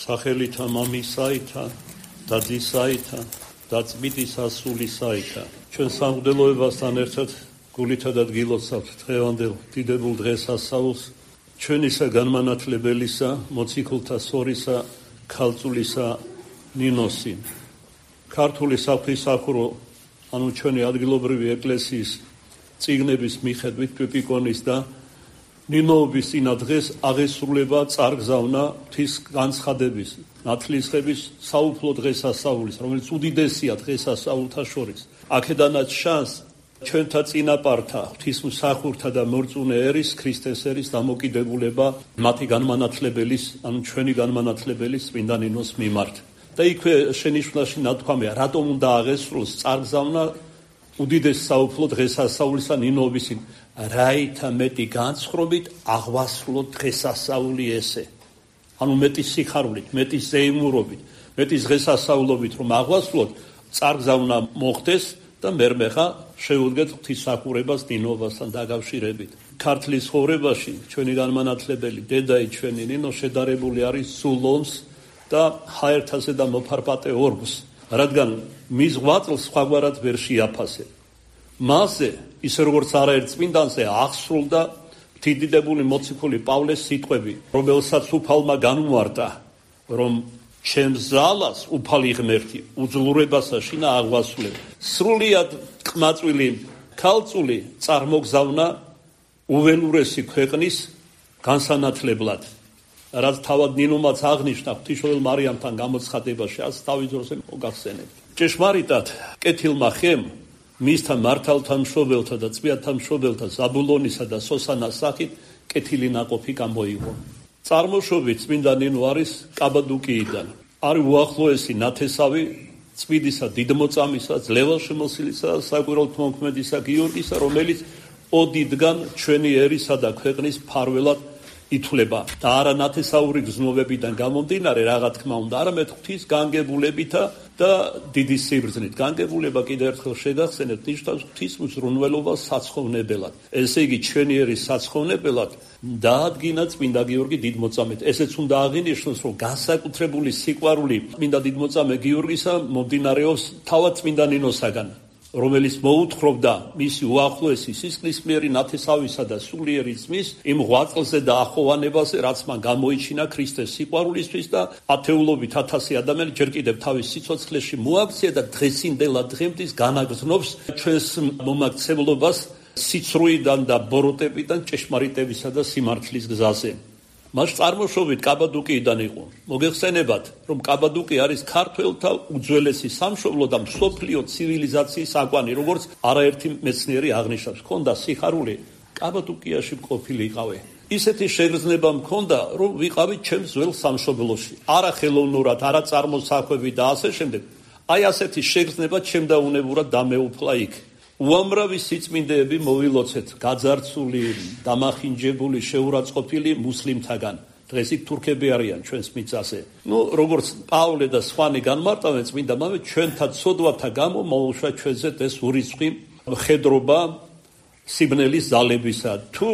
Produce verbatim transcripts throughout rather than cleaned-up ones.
სახელითა მამისაითა და ძისაითა და წმინდისა სულისაითა. ჩვენ სამღვდელოებასთან ერთად გულითა და დგილოცავთ დღევანდელ დიდებულ დღესასწაულს, ჩვენისა განმანათლებელისა, მოციქულთა სორისა, ქალწულისა ნინოსი. ქართული საღვთისმსახურო, ანუ ჩვენი ადგილობრივი ეკლესიის წიგნების მიხედვით პიპიკონის და ნინოობის წინა დღეს აღესრულება წარგზავნა ღვთის განცხადების, ნათლისღების საუფლო დღესასწაულის, რომელიც უდიდესია დღესასწაულთა შორის. აქედანაც ჩანს ჩვენთა წინაპართა, ღვთისმსახურთა და მორწმუნე ერის, ქრისტეს ერის დამოკიდებულება მათი განმანათლებელის, ანუ ჩვენი განმანათლებელის წმინდა ნინოს მიმართ. და იქვე შენიშვნაში ნათქვამია, რატომ უნდა აღესრულოს წარგზავნა უდიდეს საუფლო დღესასწაულისა ნინოობის წინ. რაითა მეტი განსხრობით აღვასრულოთ დღესასწაული ესე. ანუ მეტი სიხარულით, მეტი ზეიმურობით, მეტი დღესასწაულობით რომ აღვასრულოთ, წარგზავნა მოხდეს და მერმე ხა შეუდგეთ ღვთისმსახურებას ნინოებასთან დაკავშირებით. ქართლის ცხოვრებაში ჩვენი განმანათლებელი დედაი ჩვენი ნინო შედარებული არის სულ ომს და ჰაერთაზე და მოფარპატე ორგს, რადგან მის ღვაწლს სხვაგვარად ვერ შეაფასებ. მასზე, ისე როგორც არაერთ წმინდანზე აღსრულდა დიდებული მოციქული პავლეს სიტყვები, რომელსაც უფალმა განუვარდა, რომ ჩემს ზალას უფალი ღმერთი უძლურებასა შინა აღვასრულებ. სრულიად ყმაწვილი ქალწული წარმოგზავნა უველურესი ქვეყნის განსანათლებლად, რაც თავად ნინომაც აღნიშნა ღვთისმშობელ მარიამთან გამოცხადებაში, ას თავის დროზე მოგახსენებთ. ჭეშმარიტად კეთილმა ხემ მისთან მართალთა მშობელთა და წმინდათა მშობელთა ზაბულონისა და სოსანას სახით კეთილი ნაყოფი გამოიღო. წარმოშობით წმინდა ნინო არის კაბადუკიიდან. არის უახლოესი ნათესავი წმინდისა დიდმოწამისა, ძლევაშემოსილისა და საკვირველთმოქმედისა გიორგისა, რომელიც ოდითგან ჩვენი ერისა და ქვეყნის მფარველად ითვლება და არა ნათესაური გზნობებიდან გამომდინარე, რაღა თქმა უნდა, არამედ ღვთის განგებულებითა და დიდი სიბრძნით. განგებულება კიდევ ერთხელ შეგახსენებთ, ნიშნავს ღვთის მზრუნველობას საცხოვნებელად. ესე იგი, ჩვენი ერის საცხოვნებელად დაადგინა წმინდა გიორგი დიდმოწამედ. ესეც უნდა აღინიშნოს, რომ განსაკუთრებული სიყვარული წმინდა დიდმოწამე გიორგისა მომდინარეობს თავად წმინდა ნინოსაგან, რომელიც მოუთხრობდა მისი უახლოესი სისხლისმიერი ნათესავისა და სულიერი ძმის იმ ღვაწლზე და ახოვანებაზე, რაც მან გამოიჩინა ქრისტეს სიყვარულისთვის და ათეულობით ათასი ადამიანი ჯერ კიდევ თავის სიცოცხლეში მოაქცია და დღესინდელად დღემდე განაგრძნობს ჩვენს მომაქცევლობას სიცრუიდან და ბოროტებიდან ჭეშმარიტებისა და სიმართლის გზაზე. მას წარმოშობით კაბადუკიიდან იყო. მოგეხსენებათ, რომ კაბადუკი არის ქართველთა უძველესი სამშობლო და მსოფლიო ცივილიზაციის აკვანი, როგორც არაერთი მეცნიერი აღნიშნავს. ჰქონდა სიხარული, კაბადუკიაში ყოფილიყავი. ისეთი შეგრძნება მქონდა, რომ ვიყავი ჩემს ძველ სამშობლოში. არა ხელოვნურად, არა წარმოსახვევი და ასე შემდეგ. აი ასეთი შეგრძნება ჩემდაუნებურად დამეუფლა იქ. უამრავი სიწმინდეები მოვილოცეთ, გაძარცული, დამახინჯებული, შეურაცხყოფილი მუსლიმთაგან. დღეს იქ თურქები არიან ჩვენს მიწაზე. ნუ როგორც პავლე და სხვანი განმარტავენ, წმინდა მამე, ჩვენთა ცოდვათა გამო მოუშვა ჩვენზე ეს ურიცხვი მხედრობა სიბნელის ძალებისა, თუ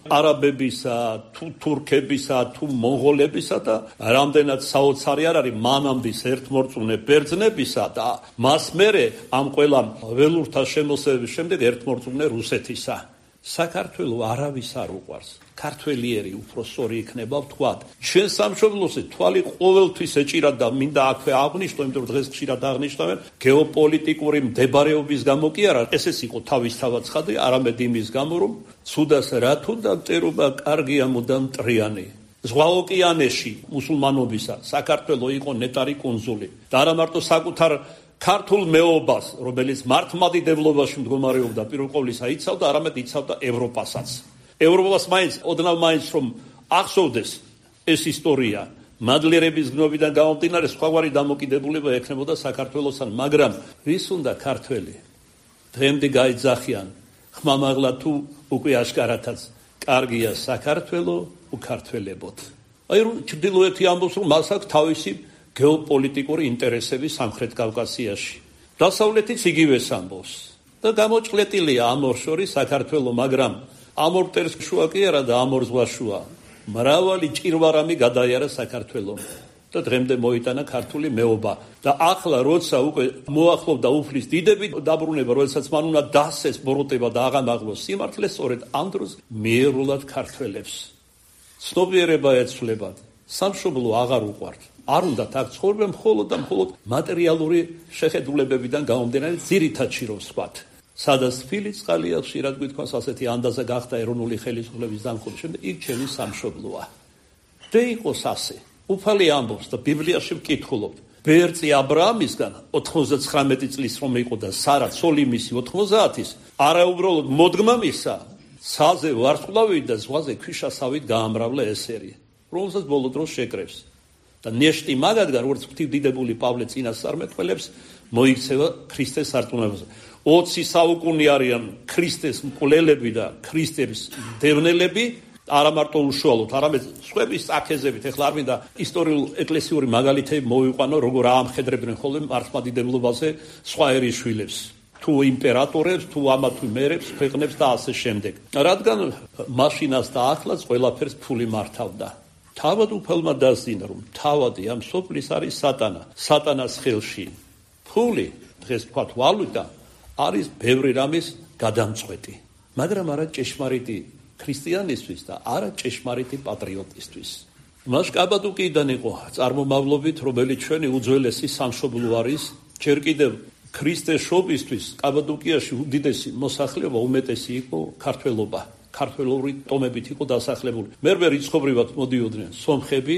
არაბებისა, თუ თურქებისა, თუ მონღოლებისა და რამდენად საოცარი არ არის მანამდის ერთმორწმუნე ბერძნებისა და მას მერე ამ ყველა ველურთა შემოსევების შემდეგ ერთმორწმუნე რუსეთისა. საქართველო არავის არ უყვარს. ქართველიერი უფრო სწორი იქნება ვთქვათ. ჩვენ სამშობლოზე თვალი ყოველთვის ეჭირა და მინდა აქვე აღნიშნო, იმიტომ რომ დღეს ხშირად აღნიშნავენ, გეოპოლიტიკური მდებარეობის გამო კი არა, ესეც იყო თავისთავად ცხადია, არამედ იმის გამო, რომ ცუდას რა თუნდა მტერობა კარგია მუდამ მტრიანი. ზღვა ოკეანეში მუსულმანობისა საქართველო იყო ნეტარი კუნძული და არა მარტო საკუთარ ქართულ მეობას, რომელიც მართლმადიდებლობაში მდგომარეობდა, პირველ ყოვლისა იცავდა, არამედ იცავდა ევროპასაც. ევროპას მაინც, ოდნავ მაინც რომ ახსოვდეს ეს ისტორია, მადლიერების გნობიდან გამომდინარე სხვაგვარი დამოკიდებულება ექნებოდა საქართველოსთან, მაგრამ ვის უნდა ქართველი? დღემდე გაიძახიან, ხმამაღლა თუ უკვე აშკარათაც, კარგია საქართველო, უქართველებოთ. აი რომ ჩრდილოეთი ამბობს, რომ მას აქვს თავისი გეოპოლიტიკური ინტერესები სამხრეთ კავკასიაში. დასავლეთიც იგივეს ამბობს. და გამოჭლეტილია ამ ორ შორის საქართველო, მაგრამ ამ ორ მტერს შუა კი არა და ამ ორ ზღვას შუა. მრავალი ჭირვარამი გადაიარა საქართველომ. და დღემდე მოიტანა ქართული მეობა. და ახლა როცა უკვე მოახლოვდა უფლის დიდები დაბრუნება, როდესაც მან უნდა დასცეს ბოროტება და აღამაღლოს სიმართლე, სწორედ ამ დროს მიერულად ქართველებს ცნობიერება ეცვლებათ, სამშობლო აღარ უყვართ. არ უნდათ აქ ცხოვრება მხოლოდ და მხოლოდ მატერიალური შეხედულებებიდან გამომდინარე ძირითადში რომ ვსვათ. სადაც თბილი წყალი აქვს, ხშირად გვითქვას ასეთი ანდაზა გახდა ეროვნული ხელისუფლების დამხობის შემდეგ, იქ ჩემი სამშობლოა. და იყოს ასე. უფალი ამბობს და ბიბლიაში ვკითხულობთ. ბერწი აბრაამისგან ოთხმოცდაცხრამეტი წლის რომ იყო და სარა ცოლი მისი ოთხმოცდაათის, არა უბრალოდ მოდგმა მისა, ცაზე ვარსკვლავით და ზღვაზე ქვიშასავით გაამრავლა ესერი, რომელსაც ბოლო დროს შეკრებს. და ნეშტი მაგადგან, როგორც ღვთივდიდებული პავლე წინასწარმეტყველებს, მოიქცევა ქრისტეს სარწმუნოებაზე. ოცი საუკუნე არიან ქრისტეს მკვლელები და ქრისტეს დევნელები, არა მარტო უშუალოდ, არამედ სხვების წაქეზებით. ეხლა არ მინდა ისტორიულ ეკლესიური მაგალითები მოვიყვანო, როგორ აამხედრებდნენ ხოლმე მართლმადიდებლობაზე სხვა ერის შვილებს, თუ იმპერატორებს, თუ ამა თუ მერებს, ქვეყნებს და ასე შემდეგ. რადგან მაშინას და ახლაც ყველაფერს ფული მართავდა. თავად უფალმა დასძინა, რომ თავადი ამ სოფლის არის სატანა. სატანას ხელში ფული, დღეს ვთქვათ ვალუტა, არის ბევრი რამის გადამწყვეტი, მაგრამ არა ჭეშმარიტი ქრისტიანისთვის და არა ჭეშმარიტი პატრიოტისთვის. მას კაბადუკიდან იყო წარმომავლობით, რომელიც ჩვენი უძველესი სამშობლო არის. ჯერ კიდევ ქრისტეს შობისთვის კაბადუკიაში უდიდესი მოსახლეობა, უმეტესი იყო ქართველობა. ქართველური ტომებით იყო დასახლებული. მერვე რიცხობრივად მოდიოდნენ სომხები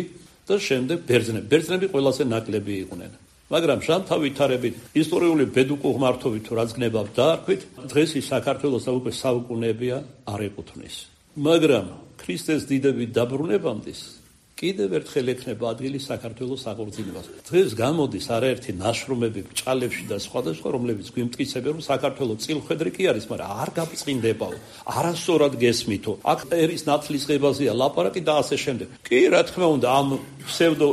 და შემდეგ ბერძნები. ბერძნები ყველაზე ნაკლები იყვნენ. მაგრამ ჟანთა ვითარებით, ისტორიული ბედუკო ღმართობით თუ რაც გნებავ დაარქვით, დღეს ის საქართველოს და უკვე საუკუნეებია არ ეკუთვნის. მაგრამ ქრისტეს დიდები დაბრუნებამდის კიდევ ერთხელ ექნება ადგილი საქართველოს აღორძინებას. დღეს გამოდის არაერთი ნაშრომები ბჭყალებში და სხვადასხვა, რომლებიც გვიმტკიცებენ, რომ საქართველოს წილხვედრი კი არის, მაგრამ არ გაბწყინდებაო, არასწორად გესმითო. აქ ერის ნათლისღებაზეა ლაპარაკი და ასე შემდეგ. კი, რა თქმა უნდა, ამ ფსევდო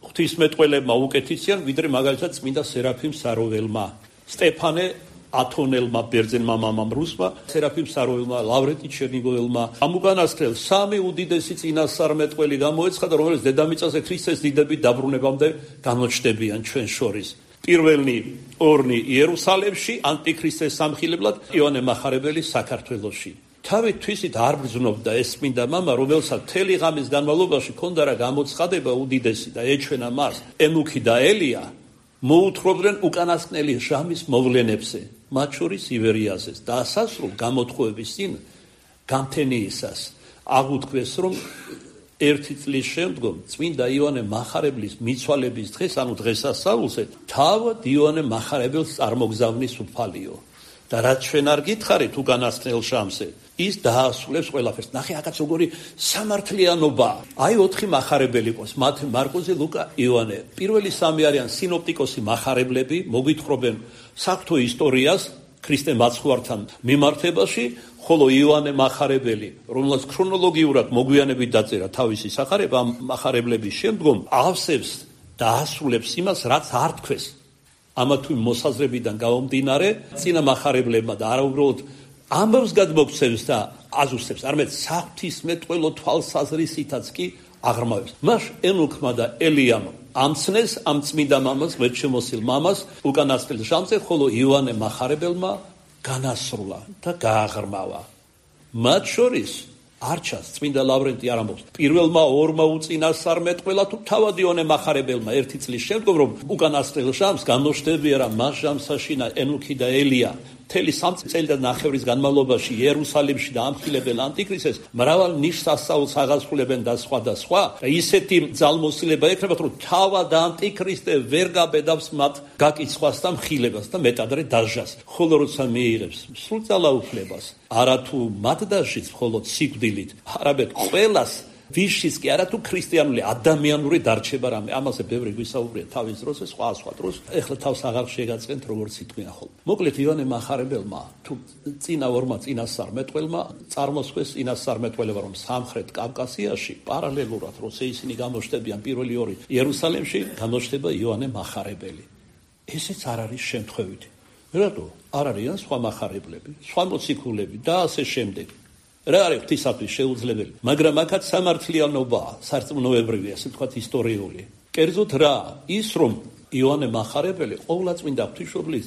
ღვთისმეტყველებმა უკეთიციან, ვიდრე მაგალითად წმინდა სერაფიმ საროველმა, სტეფანე ათონელმა, ბერძენმა მამამ რუსმა, სერაფიმ საროველმა, ლავრენტი ჩერნიგოველმა. ამ უკანასკნელ სამი უდიდესი წინასწარმეტყველი გამოეცხადა, რომელიც დედამიწაზე ქრისტეს დიდები დაბრუნებამდე გამოჩნდებიან ჩვენ შორის. პირველი ორნი იერუსალემში, ანტიქრისტეს სამხილებლად, იოანე მახარებელი საქართველოში. თავი თვისით არ ბრძნობდა ეს წმინდა მამა, რომელსაც მთელი ღამის განმავლობაში ჰქონდა რა გამოცხადება უდიდესი და ეჩვენა მას ენუქი და ელია, მოუთხრობდნენ უკანასკნელი ჟამის მოვლენებზე, მათ შორის ივერიაზეს და ასასრულ გამოთხოვების წინ გამთენიისას აღუთქვეს, რომ ერთი წლის შემდგომ წმინდა იოანე მახარებლის მიცვალების დღეს, ანუ დღესასწაულზე, თავად იოანე მახარებელს წარმოგზავნის უფალიო. და რაც ჩვენ არ გითხარით უკანასკნელ ჟამზე, ის დაასრულებს ყველაფერს. ნახე, აქაც როგორი სამართლიანობა. აი ოთხი მახარებელი ყავს, მათე, მარკოზე, ლუკა, იოანე. პირველი სამი არიან სინოპტიკოსი მახარებლები, მოგვითხრობენ საღვთო ისტორიას ქრისტე მაცხვართან მიმართებაში, ხოლო იოანე მახარებელი, რომელსაც ქრონოლოგიურად მოგვიანებით დაწერა თავისი სახარება ამ მახარებლების შემდგომ, ავსებს და ასრულებს იმას, რაც არ თქვეს. ამა თუ იმ მოსაზრებიდან გამომდინარე, წინა მახარებლებმა და არა უბრალოდ ამბავს გადმოგვცემს და აზუსტებს, არამედ საღვთისმეტყველო თვალსაზრისითაც კი აღრმავებს. მას ენუქმა და ელიამ ამცნეს ამ წმინდა მამას, ღმერთშემოსილ მამას, უკანასკნელ ჟამზე, ხოლო იოანე მახარებელმა განასრულა და გააღრმავა. მათ შორის არჩას წმინდა ლავრენტი არ ამბობს. პირველმა ორმა უწინასწარმეტყველა თუ თავად იოანე მახარებელმა ერთი წლის შემდგომ, რომ უკანასკნელ ჟამს გამოჩნდებია რა მას ჟამსაშინა ენუქი და ელია. მთელი სამი წელი და ნახევრის განმავლობაში იერუსალიმში და ამხილებენ ანტიქრისტეს, მრავალ ნიშს ასწაულს აღასრულებენ და სხვა და სხვა. და ისეთი ძალმოსილება ექნებათ, რომ თავად ანტიქრისტე ვერ გაბედავს მათ გაკიცხვას და მხილებას და მეტადრე დასჯას. ხოლო როცა მიიღებს სრულ ძალაუფლებას, არა თუ მათ დასჯის, მხოლოდ სიკვდილით, არამედ ყველას ვიშის კი არა თუ ქრისტიანული ადამიანური დარჩება რამე. ამაზე ბევრი გვისაუბრია თავის დროზე, სხვა სხვა დროს. ეხლა თავს აღარ შეგაწყენთ, როგორც იტყვიან ხოლმე. მოკლედ იოანე მახარებელმა თუ წინა ორმა წინასწარმეტყველმა წარმოსხვეს წინასწარმეტყველება, რომ სამხრეთ კავკასიაში პარალელურად, როცა ისინი გამოჩნდებიან პირველი ორი იერუსალიმში, გამოჩნდება იოანე მახარებელი. ესეც არ არის შემთხვევითი. რატო? არ არიან სხვა მახარეებლები, სხვა მოციქულები და ასე შემდეგ. რა არის ღვთისათვის შეუძლებელი, მაგრამ აქაც სამართლიანობაა, სარწმუნოებრივი, ასე ვთქვათ, ისტორიული. კერძოდ რა? ის რომ იოანე მახარებელი ყოვლადწმინდა ღვთისმშობლის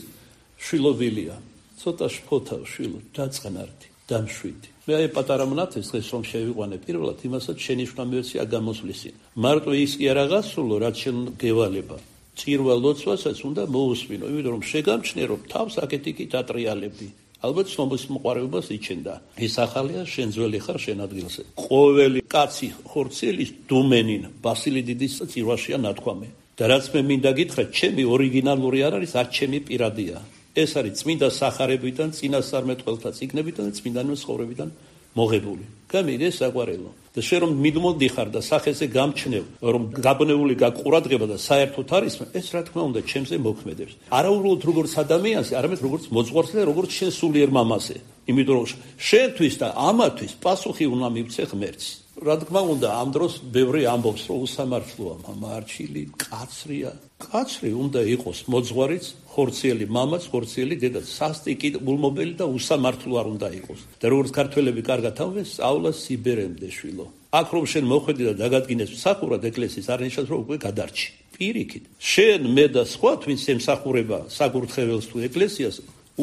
შვილობილია. ცოტა შფოთა შვილო დაწყნარდი, დამშვიდი. მე აი პატარა მონათეს დღეს რომ შევიყვანე პირველად, იმასაც შენიშვნა მივეცი აგამოსვლისინ. მარტო ის კი არ აღასრულო, რაც შენ გევალება. წირვა ლოცვასაც უნდა მოусმინო, იმიტომ რომ შეგამჩნე რომ თავს აკეთიკი დატრიალებდი. ალბათ სომბოს მოყარებას იჩენდა. ეს ახალია შენ ძველი ხარ შენ ადგილზე. ყოველი კაცი ხორცელის დუმენინ ბასილი დიდის წირვაშია ნათქვამი. და რაც მე მინდა გითხრათ, ჩემი ორიგინალური არ არის, არც ჩემი პირადია. ეს არის წმინდა სახარებიდან, წინასწარმეტყველთა წიგნებიდან და წმინდანების ცხოვრებიდან მოღებული. გამიგე საყვარელო. და შენ რომ მიდმოდიხარ და სახეზე გამჩნევ, რომ გაბნეული გაყურადღება და საერთოდ არის, ეს რა თქმა უნდა ჩემზე მოქმედებს. არა უბრალოდ როგორც ადამიანზე, არამედ როგორც მოძღვარზე და როგორც შენ სულიერ მამაზე. იმიტომ რომ შენთვის და ამათვის პასუხი უნდა მივცე ღმერთს. რა თქმა უნდა, ამ დროს ბევრი ამბობს, რომ უსამართლოა, მამარჩილი, კაცრია. კაცრი უნდა იყოს მოძღვარიც, ხორციელი მამაც, ხორციელი დედაც, სასტიკი, გულმობელი და უსამართლო არ უნდა იყოს. და როგორც ქართველები კარგად ამბობენ, სწავლა სიბერემდე შვილო. აქ რომ შენ მოხვედი და დაგადგინეს მსახურად ეკლესიის, არ ნიშნავს რომ უკვე გადარჩი. პირიქით. შენ მე და სხვა twins ემსახურება საკურთხეველს თუ ეკლესიას,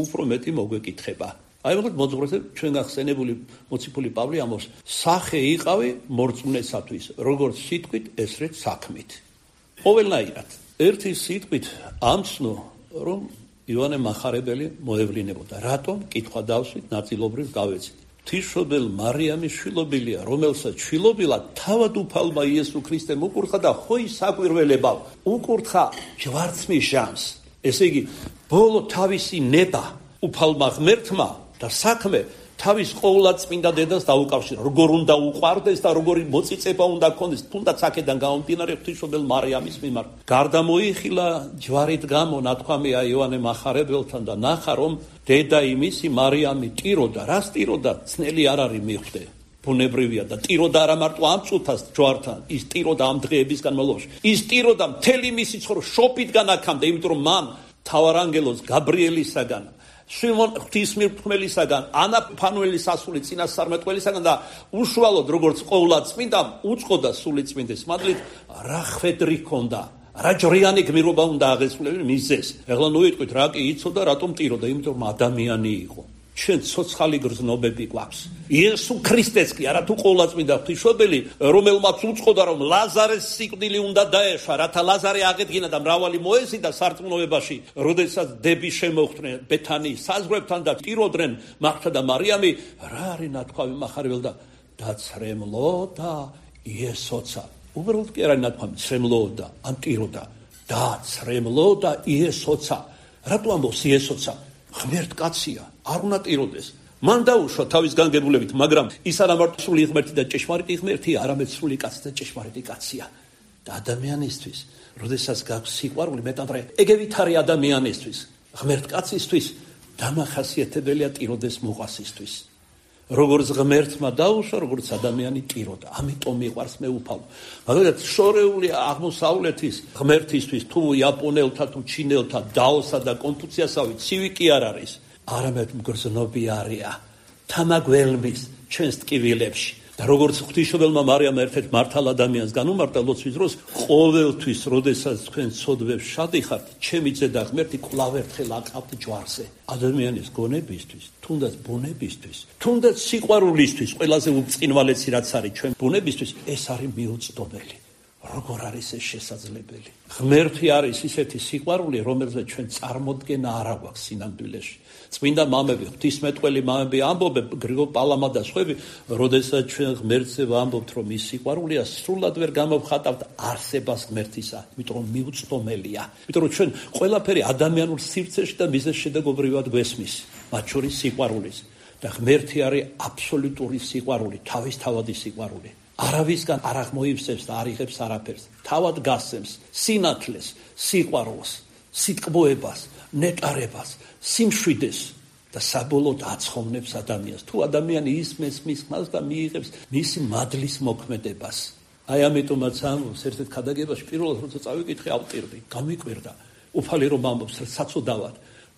უფრო მეტი მოგვეკითხება. აი მაგათ მოძღვრაზე ჩვენ გახსენებული მოციქული პავლე ამბობს, სახე იყავი მორწმუნესათვის, როგორც სიტყვით, ესრეთ საქმით. ყოველნაირად. ერთი სიტყვით ამცნო, რომ იოანე მახარებელი მოევლინებოდა. რატომ? კითხვა დავსვით, ნაწილობრივ გავეცით. ღვთისმშობელ მარიამის შვილობილია, რომელსაც შვილობილად თავად უფალმა იესო ქრისტემ უკურთხა და ხო ის საკვირველებავ უკურთხა ჯვარცმის ჟამს. ესე იგი, ბოლო თავისი ნება უფალმა ღმერთმა და საქმე თავის ყოვლადწმინდა დედას დაუკავშირა. როგორ უნდა უყვარდეს და როგორი მოწიწება უნდა ქონდეს, თუნდაც აქედან გამომდინარე ღვთისმშობელ მარიამის მიმართ. გარდა მოიხილა ჯვარით გამო, ნათქვამია იოანე მახარებელთან და ნახა რომ დედა იმისი მარიამი ტიროდა. რას ტიროდა? ცნელი არ არის მიხვდე. ბუნებრივია და ტიროდა არა მარტო ამ წუთას ჯვართან, ის ტიროდა ამ დღეების განმავლობაში. ის ტიროდა მთელი მისი ცხოვრება შოპიტგან აქამდე, იმიტომ რომ მან მთავარანგელოს გაბრიელისაგან, შიმონ ღვთისმირთმელისაგან, ანა ფანუელის ასული წინასწარმეტყველისაგან და უშუალოდ როგორც ყოვლადწმინდამ უწყოდა სულიწმინდის მადლით, რა ხვედრი ჰქონდა, რა ჯრიანი გმირობა უნდა აღესრულებინა მისეს. ეხლა ნუიტყვით რა კი იცოდა, რატომ ტიროდა, იმიტომ რომ ადამიანი იყო. ჩვენ ცოცხალი გრძნობები გვაქვს. იესო ქრისტეც კი არა თუ ყოვლადწმინდა ღვთისმშობელი, რომელმაც უწყოდა რომ ლაზარეს სიკვდილი უნდა დაეშვა, რათა ლაზარე აღედგინა და მრავალი მოეზიდა სარწმუნოებაში, როდესაც დები შემოხვდნენ ბეთანიის საზღვრებთან და ტიროდნენ მართა და მარიამი, რა არის ნათქვამი მახარებელ და დაცრემლოდა იესოცა. უბრალოდ კი არა ნათქვამი, ცრემლოდა, ან ტიროდა, დაცრემლოდა იესოცა. რატო ამბობს იესოცა? ღმერთ კაცია, არ უნდა ტიროდეს. მან დაუშვა თავის განგებულებით, მაგრამ ის არა მარტო სრული ღმერთი და ჭეშმარიტი ღმერთია, არამედ სრული კაცი და ჭეშმარიტი კაცია. და ადამიანისთვის, როდესაც გაქვს სიყვარული, მეტად ეგევით არის ადამიანისთვის, ღმერთ კაცისთვის დამახასიათებელია ტიროდეს მოყვასისთვის. როგორც ღმერთმა დაუშვა, როგორც ადამიანი ტიროდა. ამიტომ მიყვარს მე უფალო. მაგალითად, შორეული აღმოსავლეთის ღმერთისთვის, თუ იაპონელთა, თუ ჩინელთა, დაოსა და კონფუციასავი ცივი კი არ არის, არამედ მგრძნობი არია. თამაგველმის ჩვენს ტკივილებში. და როგორც ღვთისმშობელმა მარიამმა ერთ-ერთ მართალ ადამიანს განუმარტა ლოცვის დროს, ყოველთვის, როდესაც თქვენ ცოდვებს შადიხართ, ჩემი ძედა ღმერთი კვლავ ერთხელ აკავთ ჯვარზე. ადამიანის გონებისთვის, თუნდაც ბუნებისთვის, თუნდაც სიყვარულისთვის, ყველაზე უბრწყინვალეცი რაც არის ჩვენ ბუნებისთვის, ეს არის მიუწვდომელი. როგორ არის ეს შესაძლებელი? ღმერთი არის ისეთი სიყვარული, რომელზეც ჩვენ წარმოდგენა არ აქვს სინამდვილეში. წმინდა მამები, ღვთისმეტყველი მამები ამბობენ, გრიგოლ პალამა და სხვები, როდესაც ჩვენ ღმერთზე ვამბობთ, რომ ის სიყვარულია, სრულად ვერ გამოვხატავთ არსებას ღმერთისა, იმიტომ რომ მიუწვდომელია. იმიტომ რომ ჩვენ ყველაფერი ადამიანურ სივრცეში და მიზეს შედეგობრივად გვესმის, მათ შორის სიყვარულის. და ღმერთი არის აბსოლუტური სიყვარული, თავისთავადი სიყვარული. არავისგან არ აღმოივსებს და არ იღებს არაფერს. თავად გასცემს სინათლეს, სიყვარულს, სიტკბოებას, ნეტარებას, სიმშვიდეს და საბოლოოდ აცხოვნებს ადამიანს. თუ ადამიანი ისმის მის ხმას და მიიღებს მისი მადლის მოქმედებას. აი ამიტომაც ამბობს ერთ-ერთ ქადაგებაში, პირველად როცა წავიკითხე, ავტირდი, გამიკვირდა. უფალი რომ ამბობს საცოდავად,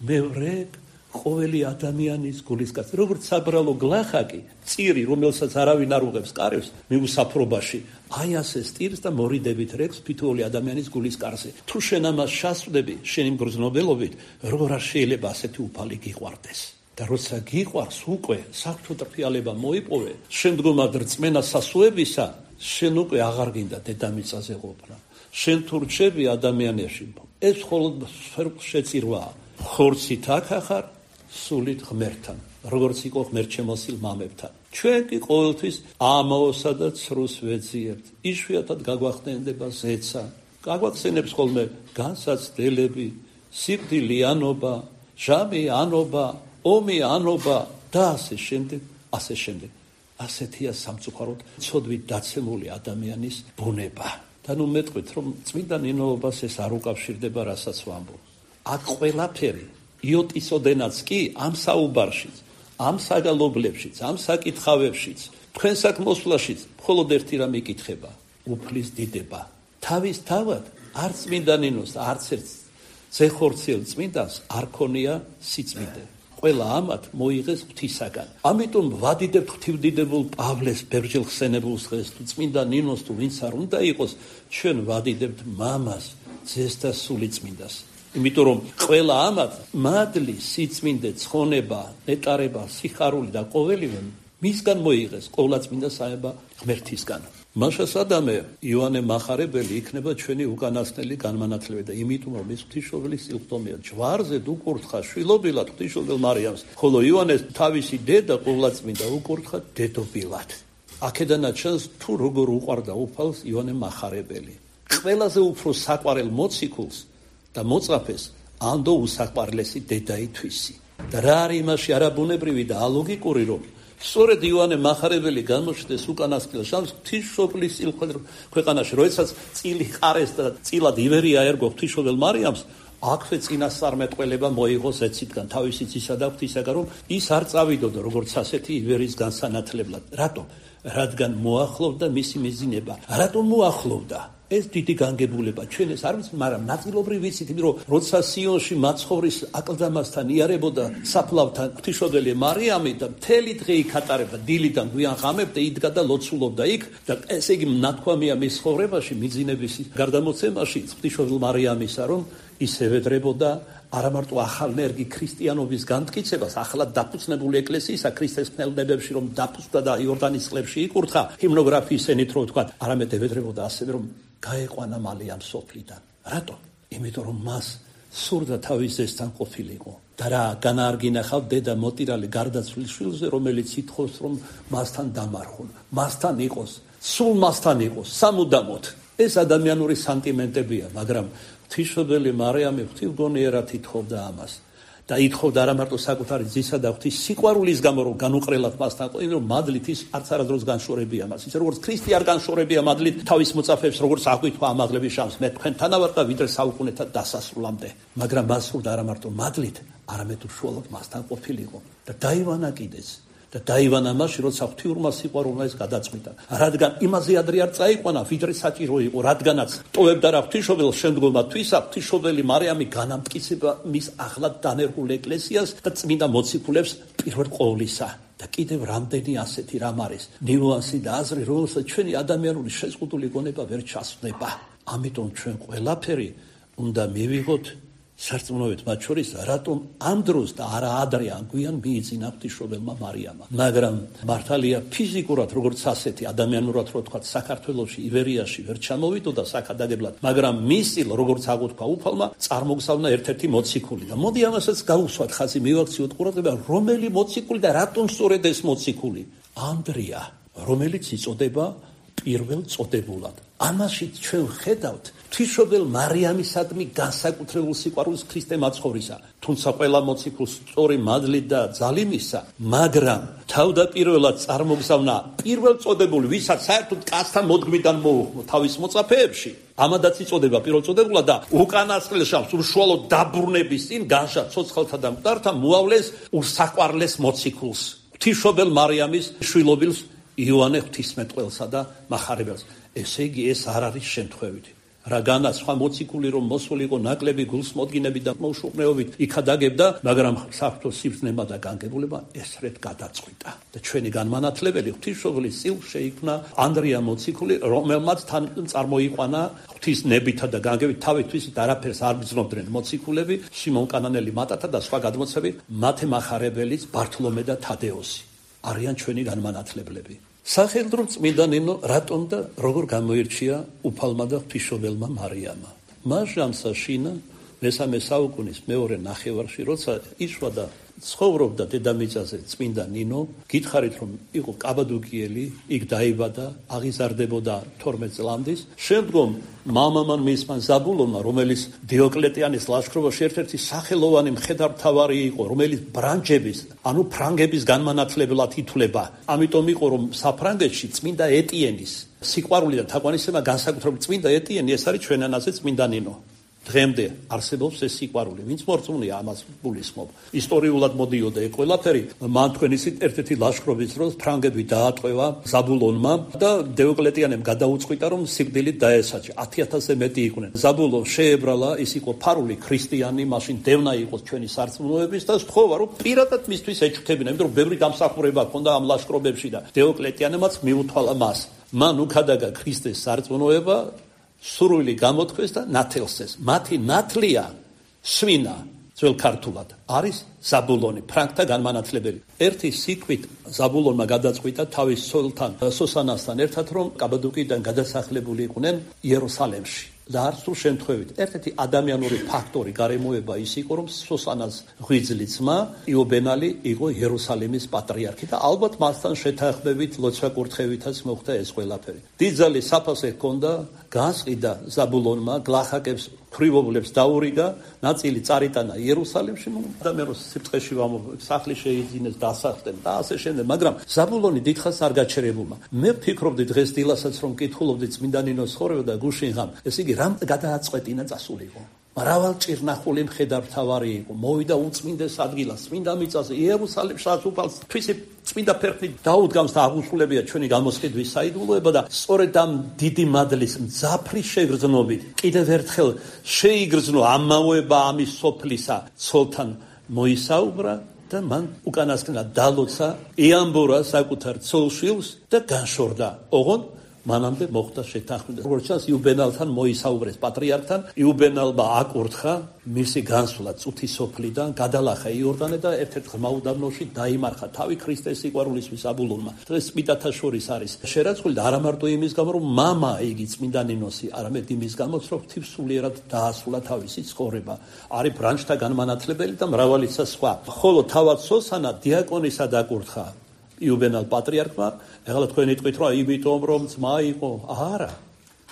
მე ვრეკ ყოველი ადამიანის გულისკაცი, როგორც საბრალო გლახაკი, წირი, რომელსაც არავინ არ უღებს კარებს მიუსაფრობაში, აი ასე სტირს და მორიდებით რეკს თითოეული ადამიანის გულისკარზე. თუ შენ ამას შასვდები, შენი მგრძნობელობით, როგორ არ შეიძლება ასეთი უფალი გიყვარდეს? და როცა გიყვარს უკვე საღვთო ტრფიალება მოიპოვე, შემდგომად რწმენა სასუებისა, შენ უკვე აღარ გინდა დედამიწაზე ყოფნა. შენ თუ რჩები ადამიანებში, ეს მხოლოდ შეწირვაა. ხორცით აქახარ, სულით ღმერთთან, როგორც იყო ღმერთშემოსილ მამებთან. ჩვენ კი ყოველთვის ამაოსა და ცრუს ვეძიებთ. იშვიათად გაგვახდენდება ზეცა, გაგვახსენებს ხოლმე განსაცდელები, სიკვდილიანობა, ჟამი ანობა, ომი ანობა და ასე შემდეგ, ასე შემდეგ. ასეთია სამწუხაროდ ცოდვით დაცემული ადამიანის ბუნება. და ნუ მეტყვით, რომ წმინდა ნინოობას ეს არ უკავშირდება, რასაც ვამბობ. აქ ყველაფერი იოტისოდენაც კი ამ საუბარშიც, ამ საგალობლებშიც, ამ საკითხავებშიც, თქვენ საქმოსვლაშიც მხოლოდ ერთი რამ იკითხება: უფლის დიდება. თავის თავად არც წმინდა ნინოს, არც ერთ ზეხორციელ წმინდანს არ ქონია სიწმინდე. ყველა ამათ მოიღეს ღვთისაგან. ამიტომ ვადიდებთ ღვთივდიდებულ პავლეს ბერჯელ ხსენებულს დღეს, თუ წმინდა ნინოს თუ ვინც არ უნდა იყოს, ჩვენ ვადიდებთ მამას, ძეს და სულიწმინდას. იმიტომ რომ ყველა ამათ მადლი, სიწმინდე, ცხონება, ნეტარება, სიხარული და ყოველივე მისგან მოიღეს, ყოვლადწმინდა საება ღმერთისგან. მაშას ადამე იოანე მახარებელი იქნება ჩვენი უკანასკნელი განმანათლებელი და იმიტომ რომ ის ღვთისმშობლის სიყვდომია ჯვარზე უკურთხა შვილობილად ღვთისმშობელ მარიამს, ხოლო იოანეს თავისი დედა ყოვლადწმინდა უკურთხა დედობილად. აქედანაც ჩანს თუ როგორ უყვარდა უფალს იოანე მახარებელი. ყველაზე უფრო საყვარელ მოციქულს და მოწაფეს ანდო უსაყვარლესი დედა ითვისი. და რა არის იმაში არაბუნებრივი და ალოგიკური, რომ სწორედ იოანე მახარებელი გამოჩნდეს უკანასკნელ შამს ღვთისმშობლის ქვეყანაში, როდესაც წილი ყარეს და წილად ივერი აერგო ღვთისმშობელ მარიამს, აქვე წინასწარმეტყველება მოიღო ზეცისგან, თავისი ძისა და ღვთისაგან, რომ ის არ წავიდოდა როგორც ასეთი ივერის განსანათლებლად. რატომ? რადგან მოახლოვდა მისი მიზინება. რატომ მოახლოვდა? ეს დიდი განგებულება ჩვენ ეს არ ვიცით, მაგრამ ნაწილობრივ ვიცით, იმიტომ რომ როცა სიონში მაცხოვრის აკლდამასთან იარებოდა საფლავთან ღვთისმშობელი მარიამი და მთელი დღე იქ ატარებდა, დილიდან გვიან ღამემდე იდგა და ლოცულობდა იქ და ესე იგი ნათქვამია მის ცხოვრებაში, მიძინების გარდამოცემაში ღვთისმშობელ მარიამისა, რომ ის ევედრებოდა არა მარტო ახალნერგი ქრისტიანობის განმტკიცებას, ახალად დაფუძნებული ეკლესიისა ქრისტეს ხნელნებებში, რომ დაფუძნდა და იორდანის წყლებში იკურთხა ჰიმნოგრაფიის ენით, რო ვთქვა, არამედ ევედრებოდა ასევე, რომ გაეყვანა მალე ამ სოფლიდან. რატო? იმიტომ რომ მას სურდა თავის ზესთან ყოფილიყო. და რა განაარგინახავ დედა მოტირალი გარდაცვლილ შვილზე, რომელიც ითხოვს, რომ მასთან დამარხონ, მასთან იყოს, სულ მასთან იყოს, სამუდამოდ. ეს ადამიანური სანტიმენტებია, მაგრამ ღვთისმშობელი მარიამი ღვთივგონიერად ითხოვდა ამას. და ითხოვდა არა მარტო საკუთარი ძისა და ღვთის სიყვარულის გამო, რომ განუყრელად მასთან იყო, იმიტომ რომ მადლით ის არც არადროს განშორებია მას. ისე როგორც ქრისტე არ განშორებია მადლით თავის მოწაფეებს, როგორც აღვიქვა ამაღლების შამს, მე თქვენთან ვარ და ვიდრე საუკუნეთა დასასრულამდე. მაგრამ მას სურდა არა მარტო მადლით, არამედ უშუალოდ მასთან ყოფილიყო და დაივანა კიდეც. და დაივანა მასში, როცა ღვთიურმა სიყვარულმა ეს გადაწყვიტა. რადგან იმაზე ადრე არ წაიყვანა, ვიდრე საჭირო იყო, რადგანაც ტოვებდა რა ღვთისმშობელს შემდგომად თვისა, ღვთისმშობელი მარიამი განამტკიცება მის ახლად დანერგულ ეკლესიას და წმინდა მოციქულებს პირველ ყოვლისა. და კიდევ რამდენი ასეთი რამ არის ნიუანსი და აზრი, რომელსაც ჩვენი ადამიანური შეზღუდული გონება ვერ ჩასვდება. ამიტომ ჩვენ ყველაფერი უნდა მივიღოთ სარწმუნოებით, მათ შორის რატომ ამ დროს და არა ადრე ან გვიან მიიძინა ღვთისმშობელმა მარიამმა. მაგრამ მართალია ფიზიკურად როგორც ასეთი ადამიანურად რო ვთქვათ, საქართველოში ივერიაში ვერ ჩამოვიდოდა საქადაგებლად, მაგრამ მის წილ როგორც აღუთქვა უფალმა, წარმოგზავნა ერთ-ერთი მოციქული. და მოდი ამასაც გავუსვათ ხაზი, მივაქციოთ ყურადღება, რომელი მოციქული და რატომ სწორედ ეს მოციქული? ანდრია, რომელიც იწოდება პირველ წოდებულად. ამაში ჩვენ ხედავთ ღვთისმშობელ მარიამისადმი განსაკუთრებულ სიყვარულს ქრისტე მაცხოვრისა. თუმცა ყველა მოციქულს სწორი მადლით და ძალიმისა, მაგრამ თავდაპირველად წარმოგზავნა პირველ წოდებული, ვისაც საერთოდ კაცთან მოდგმიდან მოუხმო თავის მოწაფეებში. ამადაც იწოდება პირველ წოდებულად და უკანასკნელ შამს უშუალოდ დაბრუნების წინ განშა ცოცხალთა და მკვდართა მოავლეს უსაყვარლეს მოციქულს, ღვთისმშობელ მარიამის შვილობილს იოანე ღვთისმეტყველსა და მახარებელს. ესე იგი ეს არ არის შემთხვევითი. რა განა სხვა მოციქული რომ მოსულიყო ნაკლები გულსმოდგინები და მოუშუყნეობით იქადაგებდა, მაგრამ საფრთხო სიბრძნება და განგებულება ესრეთ გადაწყვიტა. და ჩვენი განმანათლებელი ღვთისმშობლის წილ შეიქმნა ანდრია მოციქული, რომელმაც თან წარმოიყვანა ღვთისნებითა და განგებით თავისთვის არაფერს არ ბრძნობდნენ მოციქულები, სიმონ კანანელი მატათა და სხვა გადმოცემები, მათე მახარებელიც ბართლომე და თადეოსი არიან ჩვენი განმანათლებლები. სახელდრო წმინდა ნინო რატომ და როგორ გამოირჩია უფალმა და ღვთისმშობელმა მარიამმა? მას ჟამსა შინა მესამე საუკუნის მეორე ნახევარში, როცა იშვა და ცხოვრობდა დედამიწაზე წმინდა ნინო, გითხარით რომ იყო კაბადოკიელი, იქ დაიბადა, აღიზარდებოდა თორმეტ წლამდის. შემდგომ მამამან მისმა ზაბულონმა, რომელიც დიოკლეტიანის ლაშქრობაში ერთ-ერთი სახელოვანი მხედართმთავარი იყო, რომელიც ბრანჯების, ანუ ფრანგების განმანათლებლად ითვლება. ამიტომ იყო რომ საფრანგეთში წმინდა ეტიენის სიყვარული და თაყვანისცემა განსაკუთრებით წმინდა ეტიენი, ეს არის ჩვენ ენაზე წმინდა ნინო. დღემდე არსებობს ეს სიყვარული, ვინც მორწმუნეა ამას გულისხმობ. ისტორიულად მოდიოდა ეს ყველაფერი, მან თქვენ ისეთ ერთ-ერთი ლაშქრობის დროს ფრანგები დაატყვევა ზაბულონმა და დიოკლეტიანემ გადაუწყვიტა რომ სიკვდილით დაესაჯა. ათი ათასზე მეტი იყვნენ. ზაბულონ შეებრალა, ის იყო ფარული ქრისტიანი, მაშინ დევნა იყო ჩვენი სარწმუნოების და სთხოვა რომ პირადად მისთვის ეჩქთებინა, იმიტომ რომ ბევრი დამსახურება ჰქონდა ამ ლაშქრობებში და დიოკლეტიანემაც მიუთვალა მას. მან უქადაგა ქრისტეს სარწმუნოება, სურვილი გამოთქვეს და ნათელსეს. მათი ნათლია სვინა ძველ ქართულად არის ზაბულონი, ფრანგთა განმანათლებელი. ერთი სიკვით ზაბულონმა გადაწყვიტა თავის ცოლთან სოსანასთან ერთად რომ კაბადოკიიდან გადასახლებული იყვნენ იერუსალემში. და არც თუ შემთხვევით ერთ-ერთი ადამიანური ფაქტორი გარემოება ის იყო რომ სოსანას ღვიძლი ძმა იობენალი იყო იერუსალიმის პატრიარქი და ალბათ მასთან შეთანხმებით ლოცვა კურთხევითაც მოხდა ეს ყველაფერი. დიდძალი საფასე ჰქონდა, განსყიდა ზაბულონმა, გლახაკებს ქრივობლებს დაურიგა, ნაწილი წარიტანა იერუსალიმში, ადამიანს სიბრწყეში სახლი შეიძინეს, დასახლდნენ და ასე შემდეგ, მაგრამ ზაბულონი დიდხანს არ გაჩერებულმა. მე ვფიქრობდი დღეს დილასაც რომ კითხულობდი წმინდა ნინოს ცხოვრება და გუშინ ღამ, ეს იგი რამ გადააწყვეტინა წასულიყო. მრავალჭირნახული მხედართმთავარი იყო, მოვიდა უწმინდეს ადგილას, წმინდა მიწაზე, იერუსალიმშიც უფალს თვისი წმინდა ფერხნით დაუდგამს და აღუსულებია ჩვენი გამოსყიდვის საიდუმლოება და სწორედ ამ დიდი მადლის მძაფრი შეგრძნობით კიდევ ერთხელ შეიგრძნო ამაოება ამის სოფლისა ცოლთან მოისაუბრა და მან უკანასკნელად დალოცა, ეამბორა საკუთარ ცოლშვილს და განშორდა. ოღონდ მანამდე მოხდა შეთანხმება. როგორც ჩანს, იუბენალთან მოისაუბრეს პატრიარქთან, იუბენალმა აკურთხა მისი განსვლა წუთის სოფლიდან, გადალახა იორდანე და ერთ-ერთ ღრმა უდაბნოში დაიმარხა თავი ქრისტეს სიყვარულისთვის აბულონმა. დღეს წმინდათა შორის არის შერაცხული და არა მარტო იმის გამო, რომ მამა იგი წმინდა ნინოსი, არამედ იმის გამოც, რომ ღვთისმსულიერად დაასრულა თავისი ცხოვრება. არის ბრანჩთა განმანათლებელი და მრავალისა სხვა. ხოლო თავად სოსანა დიაკონისად აკურთხა იუბენალ პატრიარქმა. ეხლა თქვენ იტყვით რომ იმიტომ რომ ძმა იყო, არა,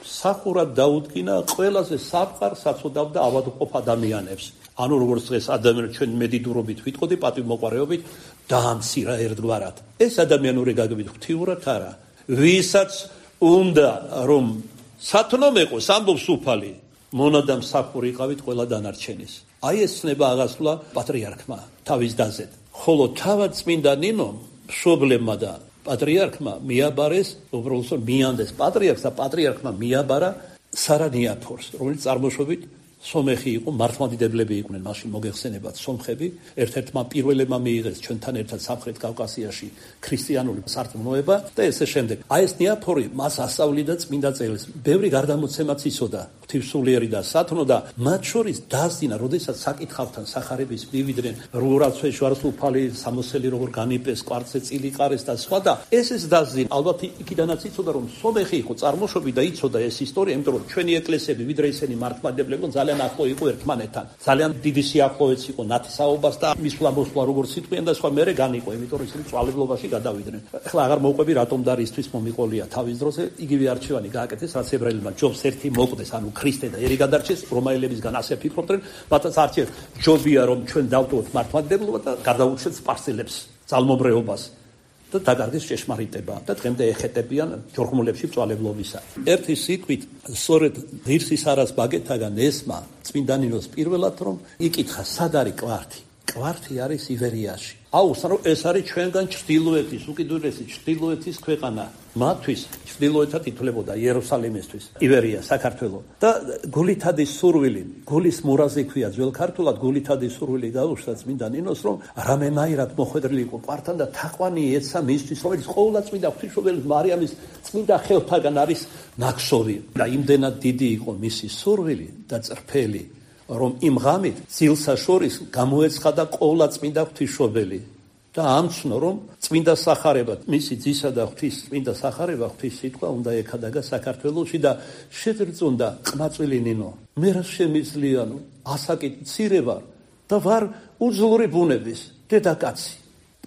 სახურად დაუდგინა ყველაზე საფყარ საწოდავდა ავადმყოფ ადამიანებს. ანუ როგორც დღეს ადამიანებს ჩვენ მედიდურობით ვიტყოდი, პატივმოყვარეობით დაამცირა ერთგვარად. ეს ადამიანური გაგებით ღვთიურად არა. ვისაც უნდა რომ სათნომეყოს ამბობს უფალი, მონადამ საფური იყავით ყველა დანარჩენის. აი ეს ცნება აღასრულა პატრიარქმა თავის დაზედ. ხოლო თავად წმინდა ნინომ მშობლებმა და პატრიარქმა მიაბარეს, უბრალოდ მიანდეს პატრიარქს და პატრიარქმა მიაბარა სარანიაფორს, რომელიც წარმოშობით სომეხი იყო, მართლმადიდებლები იყვნენ, მაშინ მოგეხსენებათ სომხები, ერთ-ერთმა პირველებმა მიიღეს ჩვენთან ერთად სამხრეთ კავკასიაში ქრისტიანული სარწმუნოება და ესე შემდეგ. აი ეს ნიაფორი მას ასწავლიდა წმინდა წელს. ბევრი გარდამოცემაც იცოდა, ღვთისმსულიერი და სათნო და მათ შორის დასძინა, როდესაც საკითხავთან სახარების მივიდნენ, როღრაცვე ჯვაროსუფალი სამოსელი როგორ განიპეს, კვარცხლზე წილიყარეს და სხვა და ეს ეს დასძინა. ალბათ იქიდანაც იცოდა რომ სომეხი იყო წარმოშობით და იცოდა ეს ისტორია, იმიტომ რომ ჩვენი ეკლესიები ვიდრე ისინი მართლმადიდებლები ძალიან ახლო იყო ერთმანეთთან. ძალიან დიდი სიახლოვეც იყო ნათესაობას და მისვლა მოსვლა როგორც სიტყვიან და სხვა მერე განიყო, იმიტომ რომ ისინი წვალებლობაში გადავიდნენ. ახლა აღარ მოვყვები რატომ და რისთვის მომიყოლია თავის დროზე, იგივე არჩევანი გააკეთეს, რაც ებრაელებმა ჯობს ერთი მოკვდეს, ანუ ქრისტე და ერი გადარჩეს, რომაელებისგან ასე ფიქრობდნენ, მათაც არჩევ ჯობია რომ ჩვენ დავტოვოთ მართლმადიდებლობა და გადავუჩეთ სპარსელებს ძალმომრეობას. და დაკარგეს ჭეშმარიტება და დღემდე ეხეტებიან ჯორღმულებში მწვალებლობისა. ერთი სიტყვით, სწორედ ღირსის არას ბაგეთაგან ესმა წმინდა ნინოს პირველად რომ იკითხა, სად არის კვართი? კვართი არის ივერიაში. აუხსნა რომ ეს არის ჩვენგან ჩრდილოეთის უკიდურესი ჩრდილოეთის ქვეყანა. მათთვის ჩრდილოეთად ითვლებოდა იერუსალიმისთვის ივერია საქართველო და გულითადის სურვილი გულის მურაზი ქვია ძველ ქართულად გულითადის სურვილი გაუშვდა წმინდა ნინოს რომ რამენაირად მოხვედრილი იყო ყვართან და თაყვანი ეცა მისთვის რომელიც ყოველდღე წმინდა ღვთისმშობელი მარიამის წმინდა ხელთაგან არის ნაქსოვი და იმდენად დიდი იყო მისი სურვილი და წრფელი რომ იმ ღამით ძილსა შორის გამოეცხადა ყოვლა წმინდა ღვთისმშობელი და ამცნო რომ წმინდა სახარება მისი ძისა და ღვთის წმინდა სახარება ღვთის სიტყვა უნდა ეკადაგა საქართველოში და შეძრწუნდა ყმაწვილი ნინო მე რა შემიძლიანო ასაკით მცირე ვარ და ვარ უძლური ბუნების დედაკაცი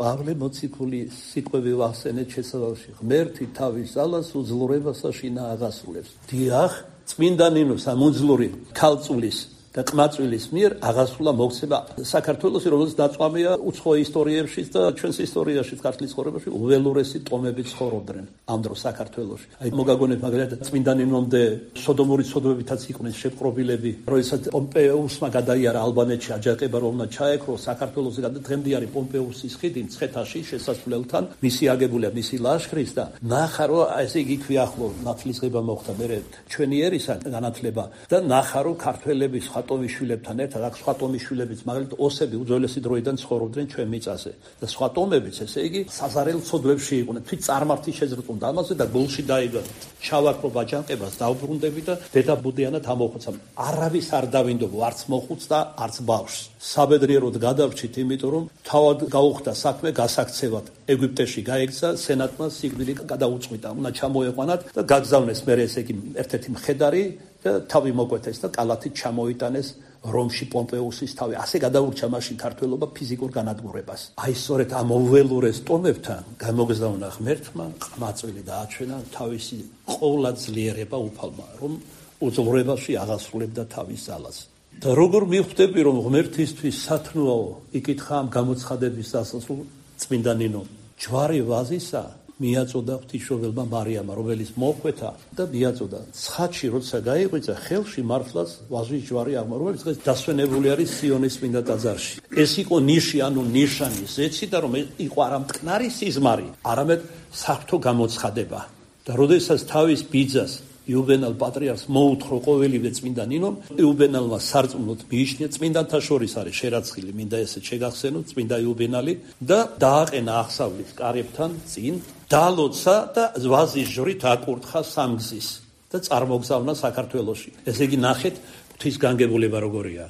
პავლე მოციქულის სიტყვები ვახსენეთ შესავალში ღმერთი თავის ძალას უძლურებასა შინა აღასრულებს დიახ წმინდა ნინოს ამ უძლური ქალწულის და ყმაწვილის მიერ აღასრულა მოქცევა საქართველოს, რომელიც დაწვამია უცხო ისტორიებში და ჩვენს ისტორიაში, ქართლის ცხოვრებაში უველურესი ტომები ცხოვრობდნენ ამ დროს საქართველოში. აი მოგაგონებთ მაგალითად წმინდა ნინომდე სოდომური ცოდვებითაც იყვნენ შეპყრობილები, როდესაც პომპეუსმა გადაიარა ალბანეთში აჯანყება, რომელმაც ჩაეკრო საქართველოს დღემდე არის პომპეუსის ხიდი მცხეთაში შესასვლელთან, მისი აგებულია მისი ლაშქრის და ნახა რომ ესე იგი ქვიახლო ნათლისღება მოხდა მე ჩვენი ერისა განათლება და ნახა რომ ქართველების ტომიშვილებთან ერთად აქ სხვა ტომიშვილებიც მაგალითად ოსები უძველესი დროიდან ცხოვრობდნენ ჩვენ მიწაზე და სხვა ტომებიც ესე იგი საზარელ ცოდვებში იყვნენ თვით წარმართი შეზრწუნდა ამაზე და გულში დაიბადა ჩავაკრო ბაჯანყებას დავბრუნდები და დედა ბუდიანად ამოხოცა არავის არ დავინდობ არც მოხუც და არც ბავშვს საბედნიეროდ გადავრჩით იმიტომ რომ თავად გაუხდა საქმე გასაქცევად ეგვიპტეში გაიქცა სენატმა სიკვდილი გადაუწყვიტა უნდა ჩამოეყვანათ და გაგზავნეს მე ესე იგი ერთ-ერთი მხედარი და თავი მოკვეთეს და კალათით ჩამოიტანეს რომში პომპეუსის თავი. ასე გადაურჩა მაშინ ქართველობა ფიზიკურ განადგურებას. აი სწორედ ამ უველურეს ტომებთან გამოგზავნა ღმერთმა ყმაწვილი დააჩვენა თავისი ყოვლადძლიერება უფალმა, რომ უძლურებაში აღასრულებდა თავის ძალას. და როგორ მივხვდები, რომ ღმერთისთვის სათნოაო იკითხა ამ გამოცხადების დასასრულ წმინდა ნინომ. ჯვარი ვაზისა მიაწოდა ღვთისმშობელმა მარიამმა, რომელიც მოხვეთა და მიაწოდა. ცხადში როცა გაიღვიძა, ხელში მართლაც ვაზის ჯვარი აღმო, რომელიც დღეს დასვენებული არის სიონის წმინდა ტაძარში. ეს იყო ნიში, ანუ ნიშანი, ზეცი და რომ იყო არა მტკნარი სიზმარი, არამედ საღვთო გამოცხადება. და როდესაც თავის ბიძას იუბენალ პატრიარქს მოუთხრო ყოველივე წმინდა ნინომ, იუბენალმა სარწმუნოდ მიიჩნია, წმინდანთა შორის არის შერაცხილი, მინდა ესეც შეგახსენოთ, წმინდა იუბენალი და დააყენა აღსავლის კარებთან წინ, დალოცა და ვაზის ჯვრით აკურთხა სამგზის და წარმოგზავნა საქართველოში. ესე იგი ნახეთ, ღვთის განგებულება როგორია.